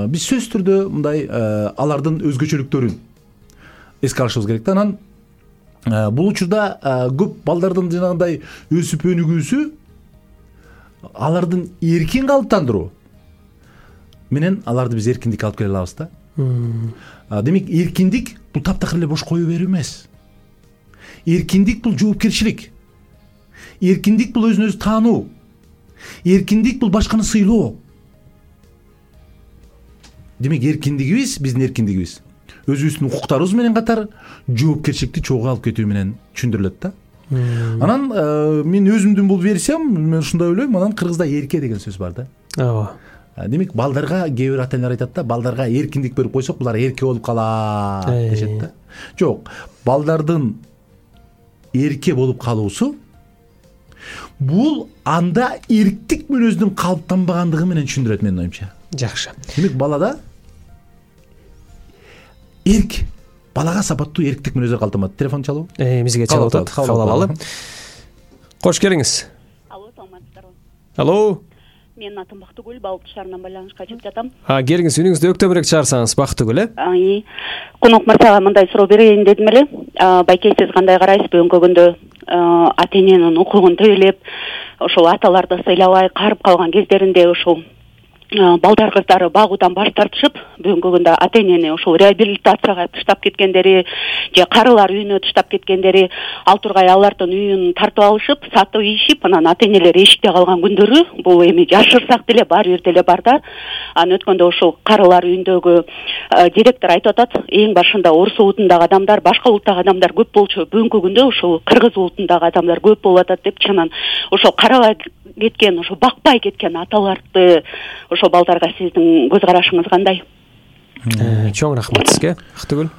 биз сөзсүз түрдө мындай алардын өзгөчөлүктөрүн эске алышыбыз керек да. Анан бул учурда көп балдардын жанагындай өсүп өнүгүүсү алардын эркин калыптандыруу менен аларды биз эркиндикке алып келе алабыз да. Демек, эркиндик бул таптакыр эле бош кое берүү эмес. Эркиндик бул жоопкерчилик. Эркиндик бул өзүн өзү таануу. Эркиндик бул башканы сыйлоо. Демек, эркиндигибиз, биздин эркиндигибиз өзүбүздүн укуктарыбыз менен катар жоопкерчиликти чогуу алып кетүү менен түшүндүрүлөт да. Анан мен өзүмдүн бул версиям, мен ушундай ойлойм, анан кыргызда эрке деген сөз бар да. Демек, балдарга кээ бир ата-энелер айтат да, балдарга эркиндик берип койсок, булар эрке болуп калат дешет да. Жок, балдардын эрке болуп калуусу бул анда эрктик мүнөздүн калыптанбагандыгы менен түшүндүрөт, менин оюмча. Жакшы. Демек, балада эрк, балага сапаттуу эрктик мүнөздөр калыптанбайт. Телефон чалуу? Эмизге чалып атат. Кабыл алалы. Кош келиңиз. Алло, саламатсыздарбы? Алло. Менин атым Бактыгүл, Балык шаарынан байланышка чыгып жатам. Келиңиз, үнүңүздү өктөбүрөөк чыгарсаңыз, Бактыгүл, Конок мырзага мындай суроо берейин дедим эле. Байке, сиз кандай карайсыз? Бүгүнкү күндө ата-эненин укугун тебелеп, ошол аталарды сыйлабай карып калган кездеринде ошол балдар кыздары багуудан баш тартышып, бүгүнкү күндө ата-энени ошол реабилитацияга таштап кеткендери же карылар үйүнө таштап кеткендери, ал тургай алардын үйүн тартып алышып, сатып ийишип, анан ата-энелер эшикте калган күндөрү бул эми жашырсак деле баары бир деле бар да. Анан өткөндө ошол карылар үйүндөгү директор айтып атат, эң башында орус улутундагы адамдар, башка улуттагы адамдар көп болчу, бүгүнкү күндө ошол кыргыз улутундагы адамдар көп болуп атат депчи. Анан ошол карабай кеткен, ошо бакпай кеткен аталарды ошо балдарга сиздин көз карашыңыз кандай? Чоң рахмат сизге, Бактыгүл.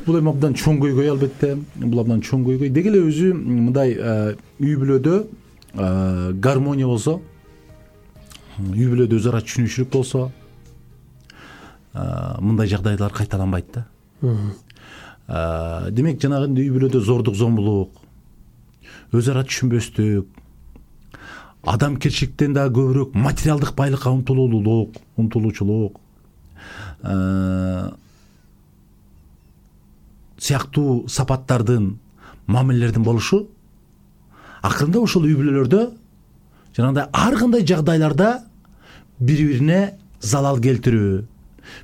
Бул эми абдан чоң көйгөй, албетте. Бул абдан чоң көйгөй. Деги эле өзү мындай үй бүлөдө гармония болсо, үй бүлөдө өз ара түшүнүкчүлүк болсо, мындай жагдайлар кайталанбайт да. Демек, жанагындай үй бүлөдө зордук, зомбулук, өз ара түшүнбөстүк, адамгерчиликтен да көбүрөөк материалдык байлыкка умтулуучулук сыяктуу сапаттардын, мамилелердин болушу акырында ошол үй бүлөлөрдө жанагындай ар кандай жагдайларда бири-бирине залал келтирүү,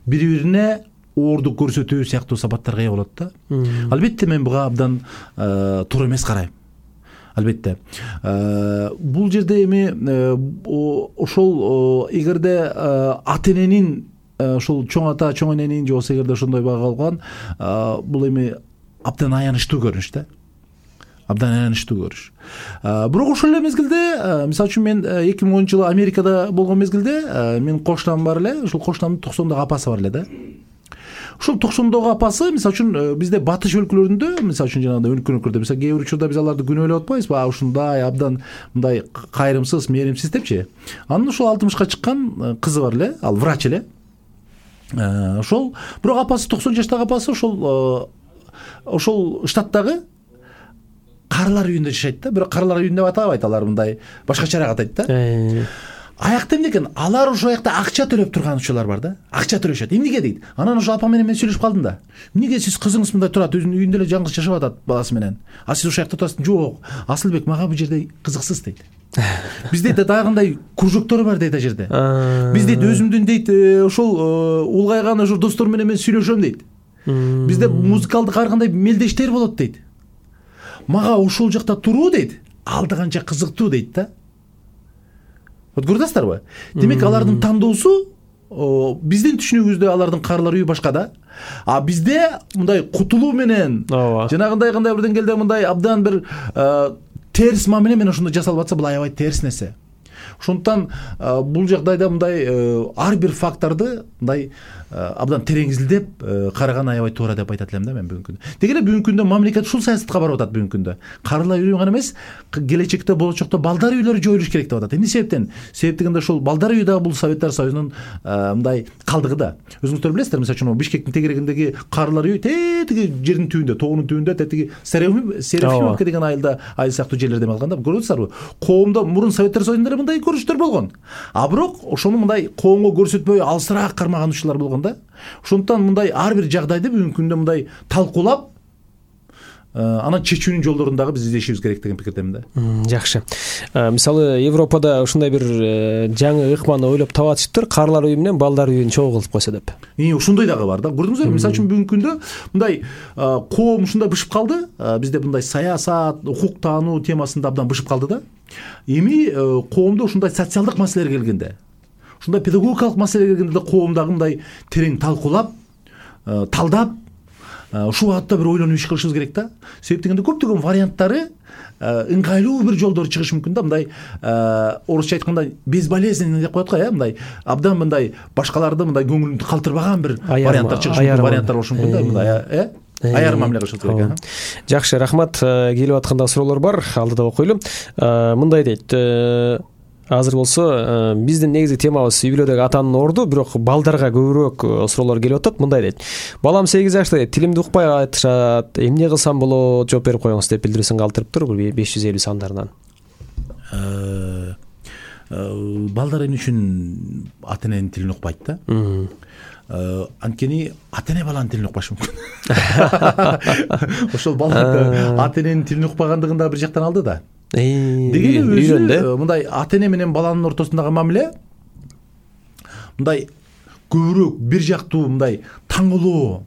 бири-бирине оордук көрсөтүү сыяктуу сапаттарга ээ болот да. Албетте, мен буга абдан туура эмес карайм. Албетте. Бул жерде эми ошол эгерде ата-эненин, ошол чоң ата, чоң эненин же болбосо эгерде ошондой бага алган, бул эми абдан аянычтуу көрүнүш да. абдан аянычтуу көрүш. Бирок ошол эле мезгилде, мисалы үчүн мен 2010-жылы Америкада болгон мезгилде менин кошунам бар эле, ошол кошунамдын 90дагы апасы бар эле да. Ушул 90дагы апасы мисалы үчүн бизде батыш өлкөлөрүндө, мисалы үчүн жанагындай өнүккөн өлкөлөрдө мисалы кээ бир учурда биз аларды күнөөлөп атпайбызбы? Ушундай абдан мындай кайрымсыз, мээримсиз депчи. Анын ушул 60-ка чыккан кызы бар эле, ал врач эле. Ошол бирок апасы 90 жаштагы апасы ошол штаттагы карылар үйүндө жашайт да. Бирок карылар үйүн деп атабайт, алар мындай башкачараак атайт да. Аякта эмне экен? Алар ошол жакта акча төлөп турган учурлар бар да. Акча төлөшөт. Эмнеге дейт? Анан ошо апа менен мен сүйлөшүп калдым да. Эмнеге сиз кызыңыз мындай турат, өзүнүн үйүндө эле жалгыз жашап атат баласы менен. А сиз ошол жакта турасыз? Жок, Асылбек, мага бул жерде кызыксыз дейт. Бизде дагындай кружоктор бар дейт а жерде. Биз дейт өзүмдүн дейт ошол улгайган ошол достор менен мен сүйлөшөм дейт. Бизде музыкалдык ар кандай мелдештер болот дейт. Мага ошол жакта туруу дейт, алдыганча кызыктуу дейт да. Вот көрдүңүздарбы? Демек алардын тандоосу биздин түшүнүгүбүздө алардын карылар үйү башка да. А бизде мындай кутулуу менен жанагындай кандай бир деңгээлде мындай абдан бир терс мамиле менен ошондой жасалып атса, бул аябай терс нерсе. Ошондуктан бул жагдайда мындай ар бир факторду мындай абдан терең изилдеп караган аябай туура деп айтат элем да мен бүгүнкү күндө. Деги эле бүгүнкү күндө мамлекет ушул саясатка барып атат бүгүнкү күндө. Карылар үйү гана эмес, келечекте болочокто балдар үйлөрү жоюлуш керек деп атат. Эмне себептен? Себеп дегенде ошол балдар үйү дагы бул Советтер Союзунун мындай калдыгы да. Өзүңүздөр билесиздер, мисалы үчүн Бишкектин тегерегиндеги карылар үйү тетиги жердин түбүндө, тоонун түбүндө, тетиги Серефимовка деген айылда, айыл сыяктуу жерлерде калганда көрөсүздарбы? Коомдо мурун Советтер Союзунда мындай көрүштөр болгон. А бирок ошону мындай коомго көрсөтпөй алысыраак кармаган учурлар болгон да. Ошондуктан мындай ар бир жагдайды бүгүнкү күндө мындай талкуулап анан чечүүнүн жолдорун дагы биз издешибиз керек деген пикирдемин да. Жакшы. Мисалы Европада ушундай бир жаңы ыкманы ойлоп табатышыптыр, карылар үйү менен балдар үйүн чогуу кылып койсо деп. Ушундай дагы бар да. Көрдүңүздөр, мисалы үчүн бүгүнкү күндө мындай коом ушундай бышып калды. Бизде мындай саясат, укук таануу темасында абдан бышып калды да. Эми коомдо ушундай социалдык маселелер келгенде, ушундай педагогикалык маселелер келгенде да коомдагы мындай терең талкуулап, талдап, ушул багытта бир ойлонуп иш кылышыбыз керек да. Себеп дегенде көптөгөн варианттары ыңгайлуу бир жолдор чыгышы мүмкүн да. Мындай орусча айтканда безболезненный деп коет го, мындай абдан мындай башкаларды мындай көңүлүн калтырбаган бир варианттар чыгышы мүмкүн, варианттар болушу мүмкүн да. Мындай аяр мамиле кылышыбыз керек. Жакшы, рахмат. Келип атканда суроолор бар, алдыда окуйлу. Мындай дейт: азыр болсо биздин негизи темабыз үй бүлөдөгү атанын орду, бирок балдарга көбүрөөк суроолор келип атат. Мындай дейт: балам 8 жашта дейт, тилимди укпай кайтышат, эмне кылсам болот, жооп берип коюңуз деп билдирүүсүн калтырыптыр 550 сандарынан. Балдар эмне үчүн ата эненин тилин укпайт да? Анткени ата эне баланын тилин укпашы мүмкүн. Ошол балдар ата эненин тилин укпагандыгын да бир жактан алды да. Деги эле өзү мындай ата эне менен баланын ортосундагы мамиле мындай көбүрөөк бир жактуу мындай таңылоо,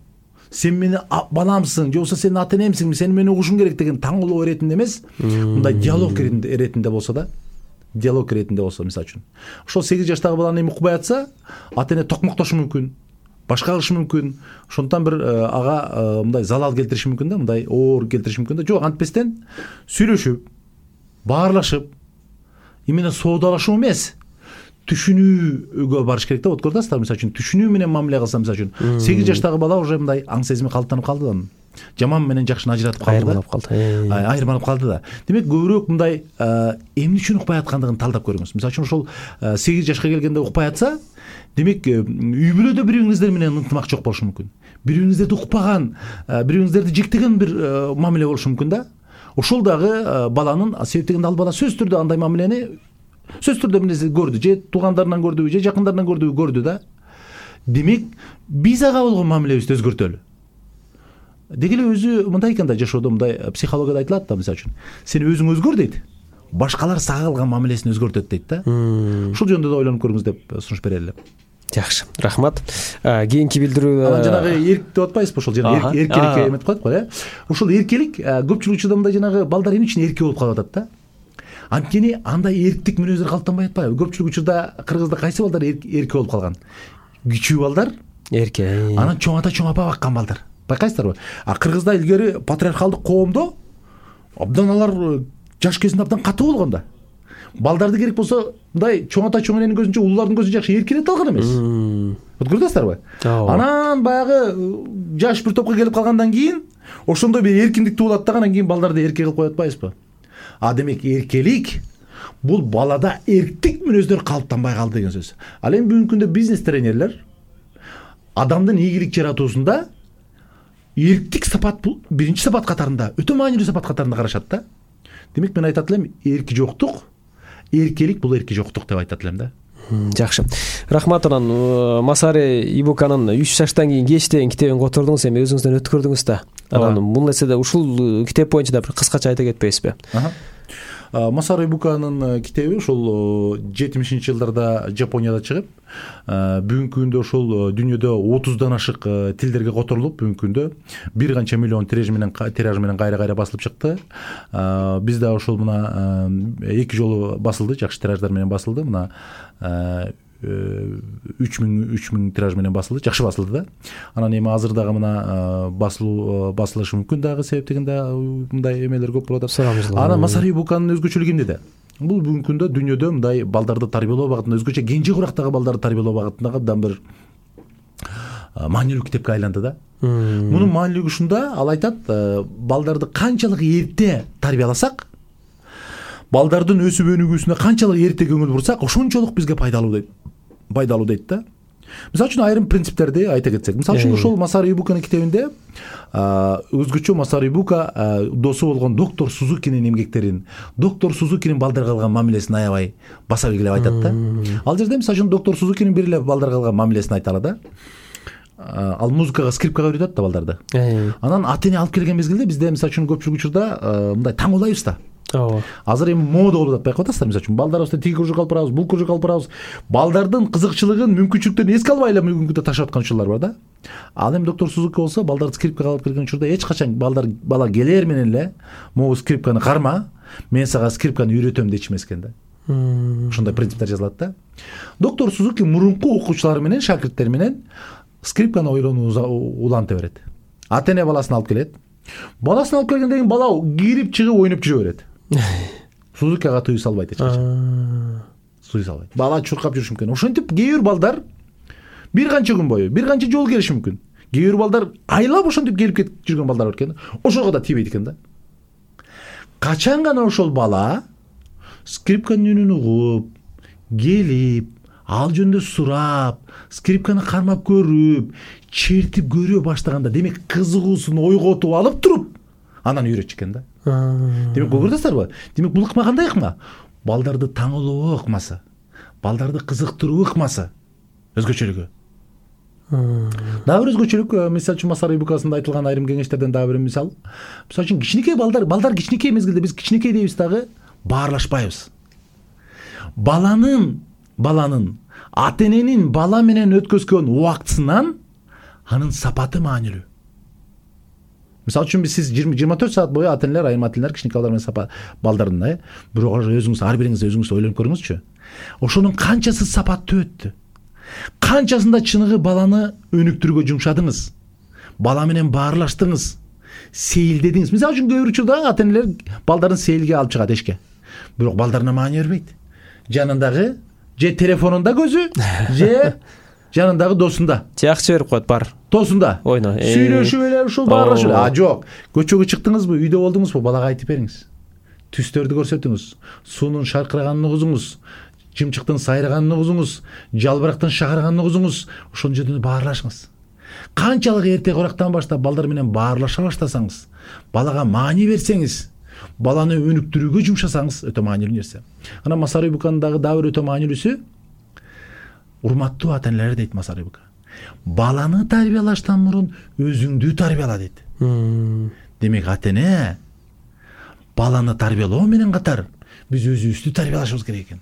сен менин баламсың же болбосо сен ата энемсиңби, сен мени угушуң керек деген таңылоо иретинде эмес, мындай диалог иретинде болсо да. Диалог иретинде болсо, мисалы үчүн ошол 8 жаштагы баланы эми укпай атса, ата эне токмоктошу мүмкүн, башка кылышы мүмкүн. Ошондуктан бир ага мындай залал келтириши мүмкүн да, мындай оор келтириши мүмкүн да. Жок, антпестен сүйлөшүп, баарлашып, именно соодалашуу эмес, түшүнүүгө барыш керек да. Вот көрдүңүздөр, мисалы үчүн түшүнүү менен мамиле кылса, мисалы үчүн 8 жаштагы бала уже мындай аң сезими калыптанып калды да. Жаман менен жакшыны ажыратып калды да. Айырмаланып калды да. Демек көбүрөөк мындай эмне үчүн укпай аткандыгын талдап көрүңүз. Мисалы үчүн ошол 8 жашка келгенде укпай атса, демек үй бүлөдө бириңиздер менен ынтымак жок болушу мүмкүн. Бириңиздерди укпаган, бириңиздерди жектеген бир мамиле болушу мүмкүн да. Ошол дагы баланын, себеп дегенде ал бала сөзсүз түрдө андай мамилени сөзсүз түрдө эмнеси көрдү, же туугандарынан көрдүбү, же жакындарынан көрдү да. Демек биз ага болгон мамилебизди өзгөртөлү. Деги эле өзү мындай экен да, жашоодо мындай психологияда айтылат да, мисалы үчүн сен өзүң өзгөр дейт, башкалар сага кылган мамилесин өзгөртөт дейт да. Ушул жөнүндө да ойлонуп көрүңүз деп сунуш берели элем. Жакшы, рахмат. Кийинки билдирүү анан жанагы эрк деп атпайсызбы, ошол жанагы эркеликке эметип коет го, ошол эркелик көпчүлүк учурда мындай жанагы балдар эмне үчүн эрке болуп калып атат да. Анткени андай эрктик мүнөздөр калыптанбай атпайбы? Көпчүлүк учурда Кыргызда кайсы балдар эрке болуп калган? Кичүү балдар эрке, анан чоң ата чоң апа баккан балдар. Байкайсыздарбы? А Кыргызда илгери патриархалдык коомдо абдан алар жаш кезинде абдан катуу болгон да. Балдарды керек болсо мындай чоң ата чоң эненин көзүнчө улуулардын көзүнчө жакшы эркелете алган эмес. Көрдүңүз атасыздарбы? Анан баягы жаш бир топко келип калгандан кийин ошондой бир эркиндикти болот да, анан кийин балдарды эрке кылып коюп атпайбызбы? Демек эркелик бул балада эрктик мүнөздөр калыптанбай калды деген сөз. Ал эми бүгүнкү күндө бизнес тренерлер адамдын ийгилик жаратуусунда эрктик сапат бул биринчи сапат катарында, өтө маанилүү сапат катарында карашат да. Демек мен айтат элем, эрки жоктук, эркелик бул эрки жоктук деп айтат элем да. Жакшы. Рахмат. Анан Масари Ибуканын 3 жаштан кийин кеч деген китебин котордуңуз, эми өзүңүздөн өткөрдүңүз да. Анан бул нерседе ушул китеп боюнча да бир кыскача айта кетпейсизби? Масари Ибуканын китеби ушул 70-жылдарда Жапонияда чыгып, бүгүнкү күндө ушул дүйнөдө 30дан ашык тилдерге которулуп, бүгүнкү күндө бир канча миллион тираж менен кайра басылып чыкты. Бизде ушул мына 2 жолу басылды, жакшы тираждар менен басылды. Мына 3000 тираж менен басылды, жакшы басылды да. Анан эми азыр дагы мына басылышы мүмкүн дагы, себептигинде мындай эмелер көп болуп атат. Анан Масари Ибуканын өзгөчөлүгү эмнеде? Бул бүгүнкү күндө дүйнөдө мындай балдарды тарбиялоо багытында, өзгөчө кенже курактагы балдарды тарбиялоо багытындагы абдан бир маанилүү китепке айланды да. Мунун маанилүүлүгү ушунда, ал айтат, балдарды канчалык эрте тарбияласак, балдардын өсүп өнүгүүсүнө канчалык эрте көңүл бурсак, ошончолук бизге пайдалуу дейт да. Мисалы үчүн айрым принциптерди айта кетсек, мисалы үчүн ошол Масари Ибуканын китебинде өзгөчө Масари Ибука досу болгон доктор Сузукинин эмгектерин, доктор Сузукинин балдарга кылган мамилесин аябай баса белгилеп айтат да. Ал жерде мисалы үчүн доктор Сузукинин бир эле балдарга кылган мамилесин айталы да. Ал музыкага, скрипкага үйрөтөт да балдарды. Анан ата-эне алып келген мезгилде бизде мисалы үчүн көпчүлүк учурда мындай таң калайбыз да. Азыр эми мода болуп атпайбы атасыздар, мисалы үчүн балдарыбызды тиги кружок алып барабыз, бул кружок алып барабыз. Балдардын кызыкчылыгын, мүмкүнчүлүктөрүн эске албай эле бүгүнкү күндө ташап аткан учурлар бар да. Ал эми доктор Сузуки болсо балдарды скрипкага алып келген учурда эч качан бала келер менен эле могу скрипканы карма, мен сага скрипканы үйрөтөм дечи эмес экен да. Ошондой принциптер жазылат да. Доктор Сузуки мурунку окуучулары менен, шакирттери менен скрипканы ойлонууну уланта берет. Ата-эне баласын алып келет. Баласын алып келгенден кийин бала кирип чыгып ойноп жүрө берет. Сузукага тыюу салбайт эч качан. Тыюу салбайт. Бала чуркап жүрүшү мүмкүн. Ошентип кээ бир балдар бир канча күн бою, бир канча жолу келиши мүмкүн. Кээ бир балдар айлап ошентип келип кетип жүргөн балдар бар экен. Ошого да тийбейт экен да. Качан гана ошол бала скрипканын үнүн угуп, келип, ал жөнүндө сурап, скрипканы кармап көрүп, чертип көрө баштаганда, демек кызыгуусун ойготуп алып туруп, анан үйрөтчү экен да. Демек көрдүңүздарбы? Демек бул ыкма кандай ыкма? Балдарды таңылоо ыкмасы, балдарды кызыктыруу ыкмасы, өзгөчөлүгү. Дагы бир өзгөчөлүк, мисалы үчүн Масари Ибукасында айтылган айрым кеңештерден дагы бир мисалы үчүн кичинекей балдар кичинекей мезгилде, биз кичинекей дейбиз дагы, баарлашпайбыз. Баланын ата-эненин бала менен өткөзгөн убактысынан анын сапаты маанилүү. Мисалы үчүн сиз 24 саат бою ата-энелер, айрым ата-энелер кичинекей балдар менен балдарын, бирок өзүңүз ар бириңиз ойлонуп көрүңүзчү. Ошонун канчасы сапаттуу өттү? Канчасында чыныгы баланы өнүктүрүүгө жумшадыңыз? Бала менен баарлаштыңыз? Сейилдедиңиз? Мисалы үчүн кээ бир учурда ата-энелер балдарын сейилге алып чыгат эшикке. Бирок балдарына маани бербейт. Жанындагы же телефонунда көзү, же жанындагы досунда. Жакшы берип коет, бар. Тосунда. Ойно. Сүйлөшүп эле ушул баарлашып. Жок. Көчөгө чыктыңызбы, үйдө болдуңузбу, балага айтып бериңиз. Түстөрдү көрсөтүңүз. Суунун шаркыраганын угузуңуз, жымчыктын сайраганын угузуңуз, жалбырактын шакырганын угузуңуз. Ошол жөнүндө баарлашыңыз. Канчалык эрте курактан баштап балдар менен баарлаша баштасаңыз, балага маани берсеңиз, баланы өнүктүрүүгө жумшасаңыз, өтө маанилүү нерсе. Анан Масари Ибуканын дагы бир өтө маанилүүсү, урматтуу ата-энелер дейт Масари Ибука. Баланы тарбиялаштан мурун өзүңдү тарбияла дейт. Демек ата-эне баланы тарбиялоо менен катар биз өзүбүздү тарбиялашыбыз керек экен.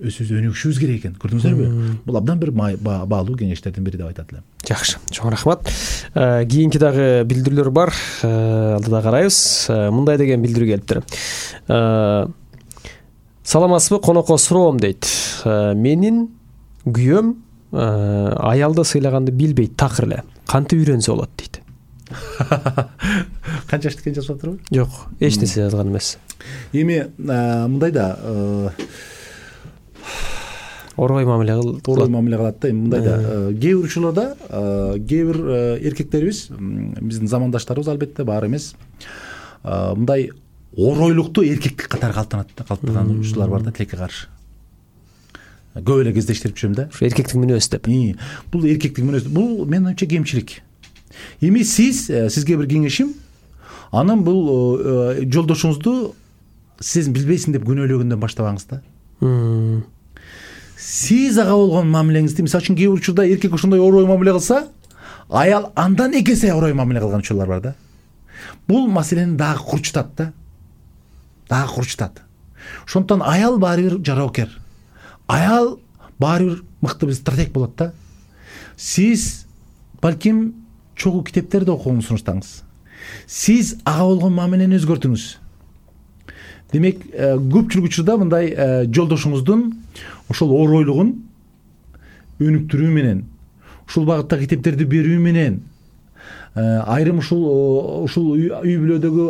Өзүбүз өнүгүшүбүз керек экен. Көрдүңүздөрбү? Бул абдан бир баалуу кеңештердин бири деп айтат элем. Жакшы, чоң рахмат. Кийинки дагы билдирүүлөр бар. Алдыда карайбыз. Мындай деген билдирүү келиптир. Саламатсызбы, конокко суроом дейт. Менин күйөөм аялды сыйлаганды билбейт такыр эле. Кантип үйрөнсө болот дейт. канча жаштык экенин жазып атырбы? Жок, эч нерсе жазган эмес. Эми мындай да Орой мамиле кылат да. Мындай да кээ бир учурларда кээ бир эркектерибиз, биздин замандаштарыбыз албетте, баары эмес, мындай оройлукту эркектик катары калыптанган учурлар бар да, тилекке каршы. Көп эле кездештирип жүрөм да. Ушу эркектик мүнөз деп. Бул эркектик мүнөз. Бул менин оюмча кемчилик. Эми сизге бир кеңешим, анан бул жолдошуңузду сиз билбейсиң деп күнөөлөгөндөн баштабаңыз да. Сиз ага болгон мамилеңизди, мисалы үчүн кээ бир учурда эркек ошондой орой мамиле кылса, аял андан эки эсе орой мамиле кылган учурлар бар да. Бул маселени дагы курчутат да. Ошондуктан аял баары бир жароокер. Аял баары бир мыкты бир стратег болот да. Сиз балким чогуу китептерди окугуңуз сунуштаңыз. Сиз ага болгон мамилени өзгөртүңүз. Демек, көпчүлүк учурда мындай жолдошуңуздун ошол оройлугун өнүктүрүү менен, ушул багытта китептерди берүү менен, айрым ушул үй бүлөдөгү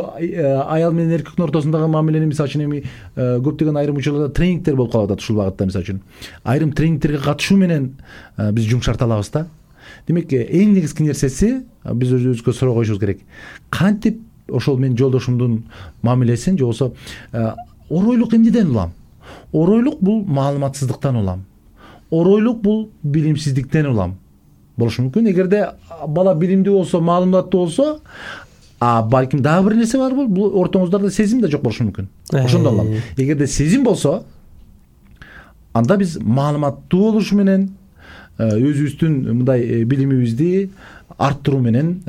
аял менен эркектин ортосундагы мамилени, мисалы үчүн эми көптөгөн айрым учурларда тренингдер болуп калып атат ушул багытта, мисалы үчүн айрым тренингтерге катышуу менен биз жумшарта алабыз да. Демек, эң негизги нерсеси биз өзүбүзгө суроо коюшубуз керек. Кантип ошол мен жолдошумдун мамилесин, же болбосо оройлук эмнеден улам? Оройлук бул маалыматсыздыктан улам. Оройлук бул билимсиздиктен улам болушу мүмкүн. Эгерде бала билимдүү болсо, маалыматтуу болсо, балким дагы бир нерсе бар, бул ортоңуздарда сезим да жок болушу мүмкүн. Ошондон улам. Эгерде сезим болсо, анда биз маалыматтуу болушу менен өзүбүздүн мындай билимибизди арттыруу менен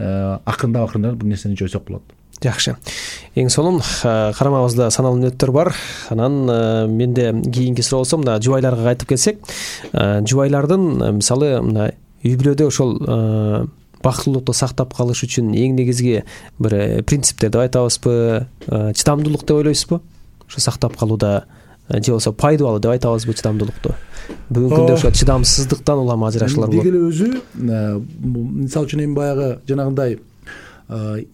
акырындап бир нерсени чөйсөк болот. Жакшы. Эң сонун карамабызда саналуу мүнөттөр бар. Анан менде кийинки суроо болсо, мына жубайларга кайтып келсек, жубайлардын мисалы мына үй бүлөдө ошол бактылуулукту сактап калыш үчүн эң негизги бир принциптер деп айтабызбы, чыдамдуулук деп ойлойсузбу? Ошо сактап калууда же болбосо пайдалуу деп айтабызбы чыдамдуулукту? Бүгүнкү күндө ошо чыдамсыздыктан улам ажырашуулар болот. Деги эле өзү, мисалы үчүн эми баягы жанагындай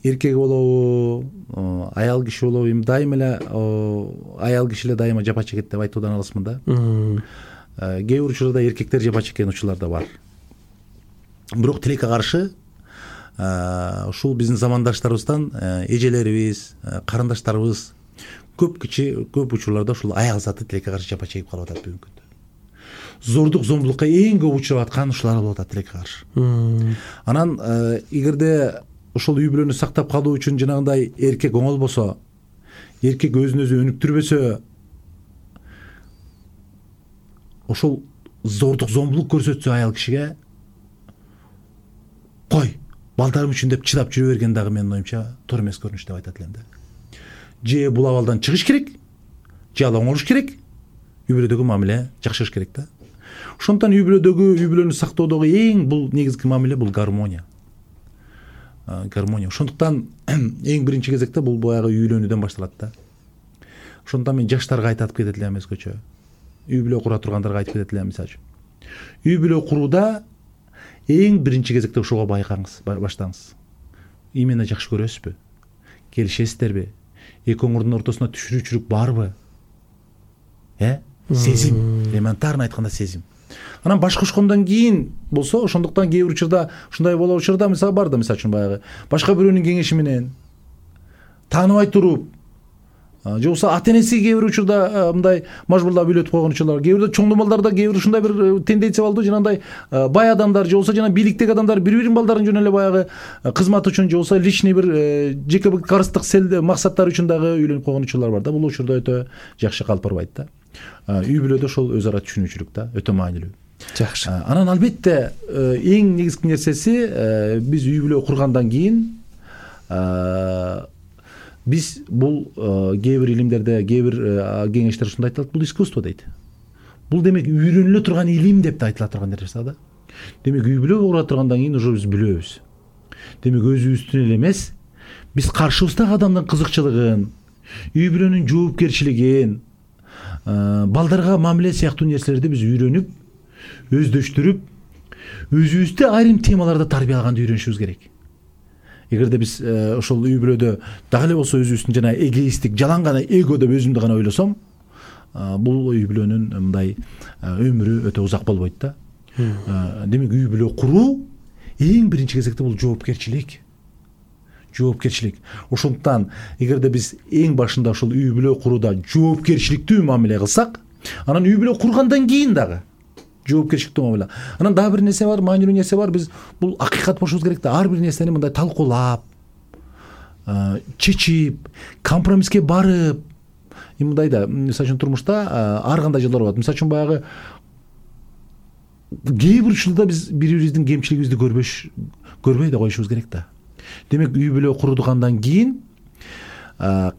эркек болобу, аял киши болобу, эми дайыма эле аял киши эле дайыма жапа чекет деп айтуудан алысмын да. Кээ бир учурда эркектер жапа чеккен учурлар да бар. Бирок тилекке каршы ушул биздин замандаштарыбыздан эжелерибиз, карындаштарыбыз көп учурларда ушул аял заты тилекке каршы жапа чегип калып атат бүгүнкү күндө. Зордук, зомбулукка эң көп учурап аткан ушулар болуп атат тилекке каршы. Анан эгерде ошол үй бүлөнү сактап калуу үчүн жанагындай эркек оңолбосо, эркек өзүн өзү өнүктүрбөсө, ошол зордук, зомбулук көрсөтсө аял кишиге, кой, балдарым үчүн деп чыдап жүрө берген дагы менин оюмча туура эмес көрүнүш деп айтат элем да. Же бул абалдан чыгыш керек, же ал оңолуш керек, үй бүлөдөгү мамиле жакшырыш керек да. Ошондуктан үй бүлөнү сактоодогу эң бул негизги мамиле бул гармония. Ошондуктан эң биринчи кезекте бул баягы үйлөнүүдөн башталат да. Ошондуктан мен жаштарга айтып кетет элем өзгөчө. Үй бүлө кура тургандарга айтып кетет элем, мисалы үчүн. Үй бүлө курууда эң биринчи кезекте ушуга байкаңыз, баштаңыз. Именно жакшы көрөсүзбү? Келишесиздерби? Эки оңурдун ортосуна түшүрүүчүлүк барбы? Сезим, элементарно айтканда сезим. Анан баш кошкондон кийин болсо, ошондуктан кээ бир учурда ушундай болор учурда мисалы бар да, мисалы үчүн баягы башка бирөөнүн кеңеши менен тааныбай туруп, же болбосо ата-энеси кээ бир учурда мындай мажбурлап үйлөтүп койгон учурлар, кээ бирде чоң домалдарда кээ бир ушундай бир тенденция болду, жанагындай бай адамдар же болбосо жана бийликтеги адамдар бири-биринин балдарын жөн эле баягы кызмат үчүн же болбосо личный бир жеке карыздык максаттар үчүн дагы үйлөнүп койгон учурлар бар да. Бул учурда өтө жакшы калп барбайт да. Үй бүлөдө ошол өз ара түшүнүүчүлүк да өтө маанилүү. Жакшы. Анан албетте эң негизги нерсеси биз үй бүлө кургандан кийин биз бул кээ бир илимдерде, кээ бир кеңештер ушундай айтылат, бул искусство дейт. Бул демек үйрөнүлө турган илим деп да айтыла турган нерсе да. Демек үй бүлө кура тургандан кийин уже биз билебиз. Демек өзүбүздүн эле эмес, биз каршыбыздагы адамдын кызыкчылыгын, үй бүлөнүн жоопкерчилигин, балдарга мамиле сыяктуу нерселерди биз үйрөнүп, өздөштүрүп, өзүбүздү айрым темаларда тарбиялаганды үйрөнүшүбүз керек. эгерде биз ошол үй бүлөдө дагы эле болсо өзүбүздүн жана эгоисттик жалаң гана эго деп өзүмдү гана ойлосом, бул үй бүлөнүн мындай өмүрү өтө узак болбойт да. Демек үй бүлө куруу эң биринчи кезекте бул жоопкерчилик. Ошондуктан эгерде биз эң башында ошол үй бүлө курууда жоопкерчиликтүү мамиле кылсак, анан үй бүлө кургандан кийин дагы жоопкерчиликтүү мамиле. Анан дагы бир нерсе бар, маанилүү нерсе бар. Биз бул акыйкат болушубуз керек да. Ар бир нерсени мындай талкуулап, чечип, компромисске барып, мындай да, мисалы үчүн турмушта ар кандай жолдор болот. Мисалы үчүн баягы кээ бир учурда биз бири-бирибиздин кемчилигибизди көрбөй да коюшубуз керек да. Демек үй бүлө курдугандан кийин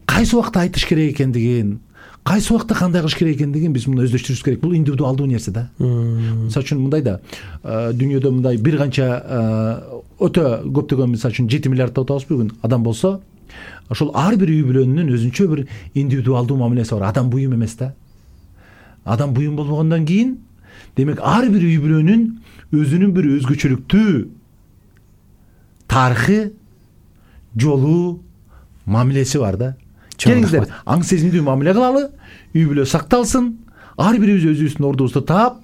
кайсы убакта айтыш керек экендигин, кайсы убакта кандай кылыш керек экендигин биз муну өздөштүрүшүбүз керек. Бул индивидуалдуу нерсе да. Мисалы үчүн мындай да, дүйнөдө мындай бир канча өтө көптөгөн, мисалы үчүн 7 миллиард деп атабыз бүгүн адам болсо, ошол ар бир үй бүлөнүн өзүнчө бир индивидуалдуу мамилеси бар. Адам буюм эмес да. Адам буюм болбогондон кийин, демек ар бир үй бүлөнүн өзүнүн бир өзгөчөлүктүү тарыхы, жолу, мамилеси бар да. Келиңиздер, аң сезимдүү мамиле кылалы, үй бүлө сакталсын, ар бирибиз өзүбүздүн ордубузду таап,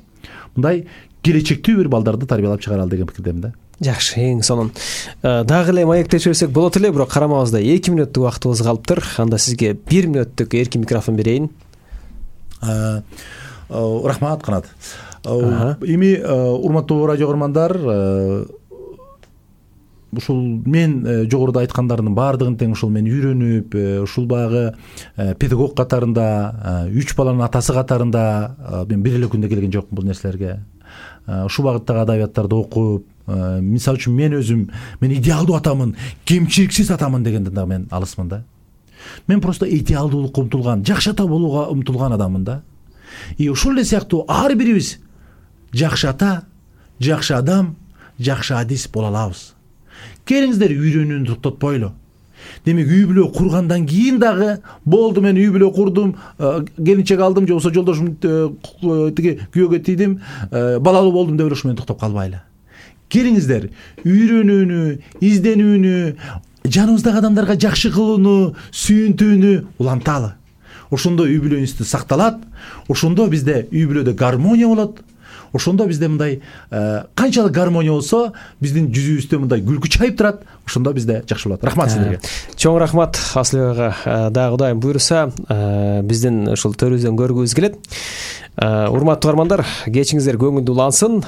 мындай келечектүү бир балдарды тарбиялап чыгаралы деген пикирдемин да. Жакшы, эң сонун. Дагы эле маектеп жиберсек болот эле, бирок карамабызда 2 мүнөттүк убактыбыз калыптыр. Анда сизге 1 мүнөттүк эркин микрофон берейин. Рахмат, Канат. Эми урматтуу радио көрөрмандар, ушул мен жогоруда айткандарымдын баардыгын тең ушул мен үйрөнүп, ушул баягы педагог катарында, 3 баланын атасы катарында мен бир эле күндө келген жокмун бул нерселерге. Ушул багыттагы адабияттарды окуп, мисалы үчүн мен өзүм, мен идеалдуу атамын, кемчиликсиз атамын дегенден да мен алысмын да. Мен просто идеалдуулукка умтулган, жакшы ата болууга умтулган адаммын да. И ушул эле сыяктуу ар бирибиз жакшы ата, жакшы адам, жакшы адис боло алабыз. Келиңиздер, үйрөнүүнү токтотпойлу. Демек үй бүлө кургандан кийин дагы болду, мен үй бүлө курдум, келинчек алдым, же болбосо жолдошум тиги күйөөгө тийдим, балалуу болдум деп эле ушу менен токтоп калбайлы. Келиңиздер, үйрөнүүнү, изденүүнү, жаныбыздагы адамдарга жакшы кылууну, сүйүнтүүнү уланталы. Ошондо үй бүлө институту сакталат, ошондо бизде үй бүлөдө гармония болот. Ошондо бизде мындай канчалык гармония болсо, биздин жүзүбүздө мындай күлкү чайып турат, ошондо бизде жакшы болот. Рахмат сиздерге. Чоң рахмат Асылбек ага. Дагы Кудайым буйруса, биздин ушул төрүбүздөн көргүбүз келет. Урматтуу угармандар, кечиңиздер көңүлдүү улансын.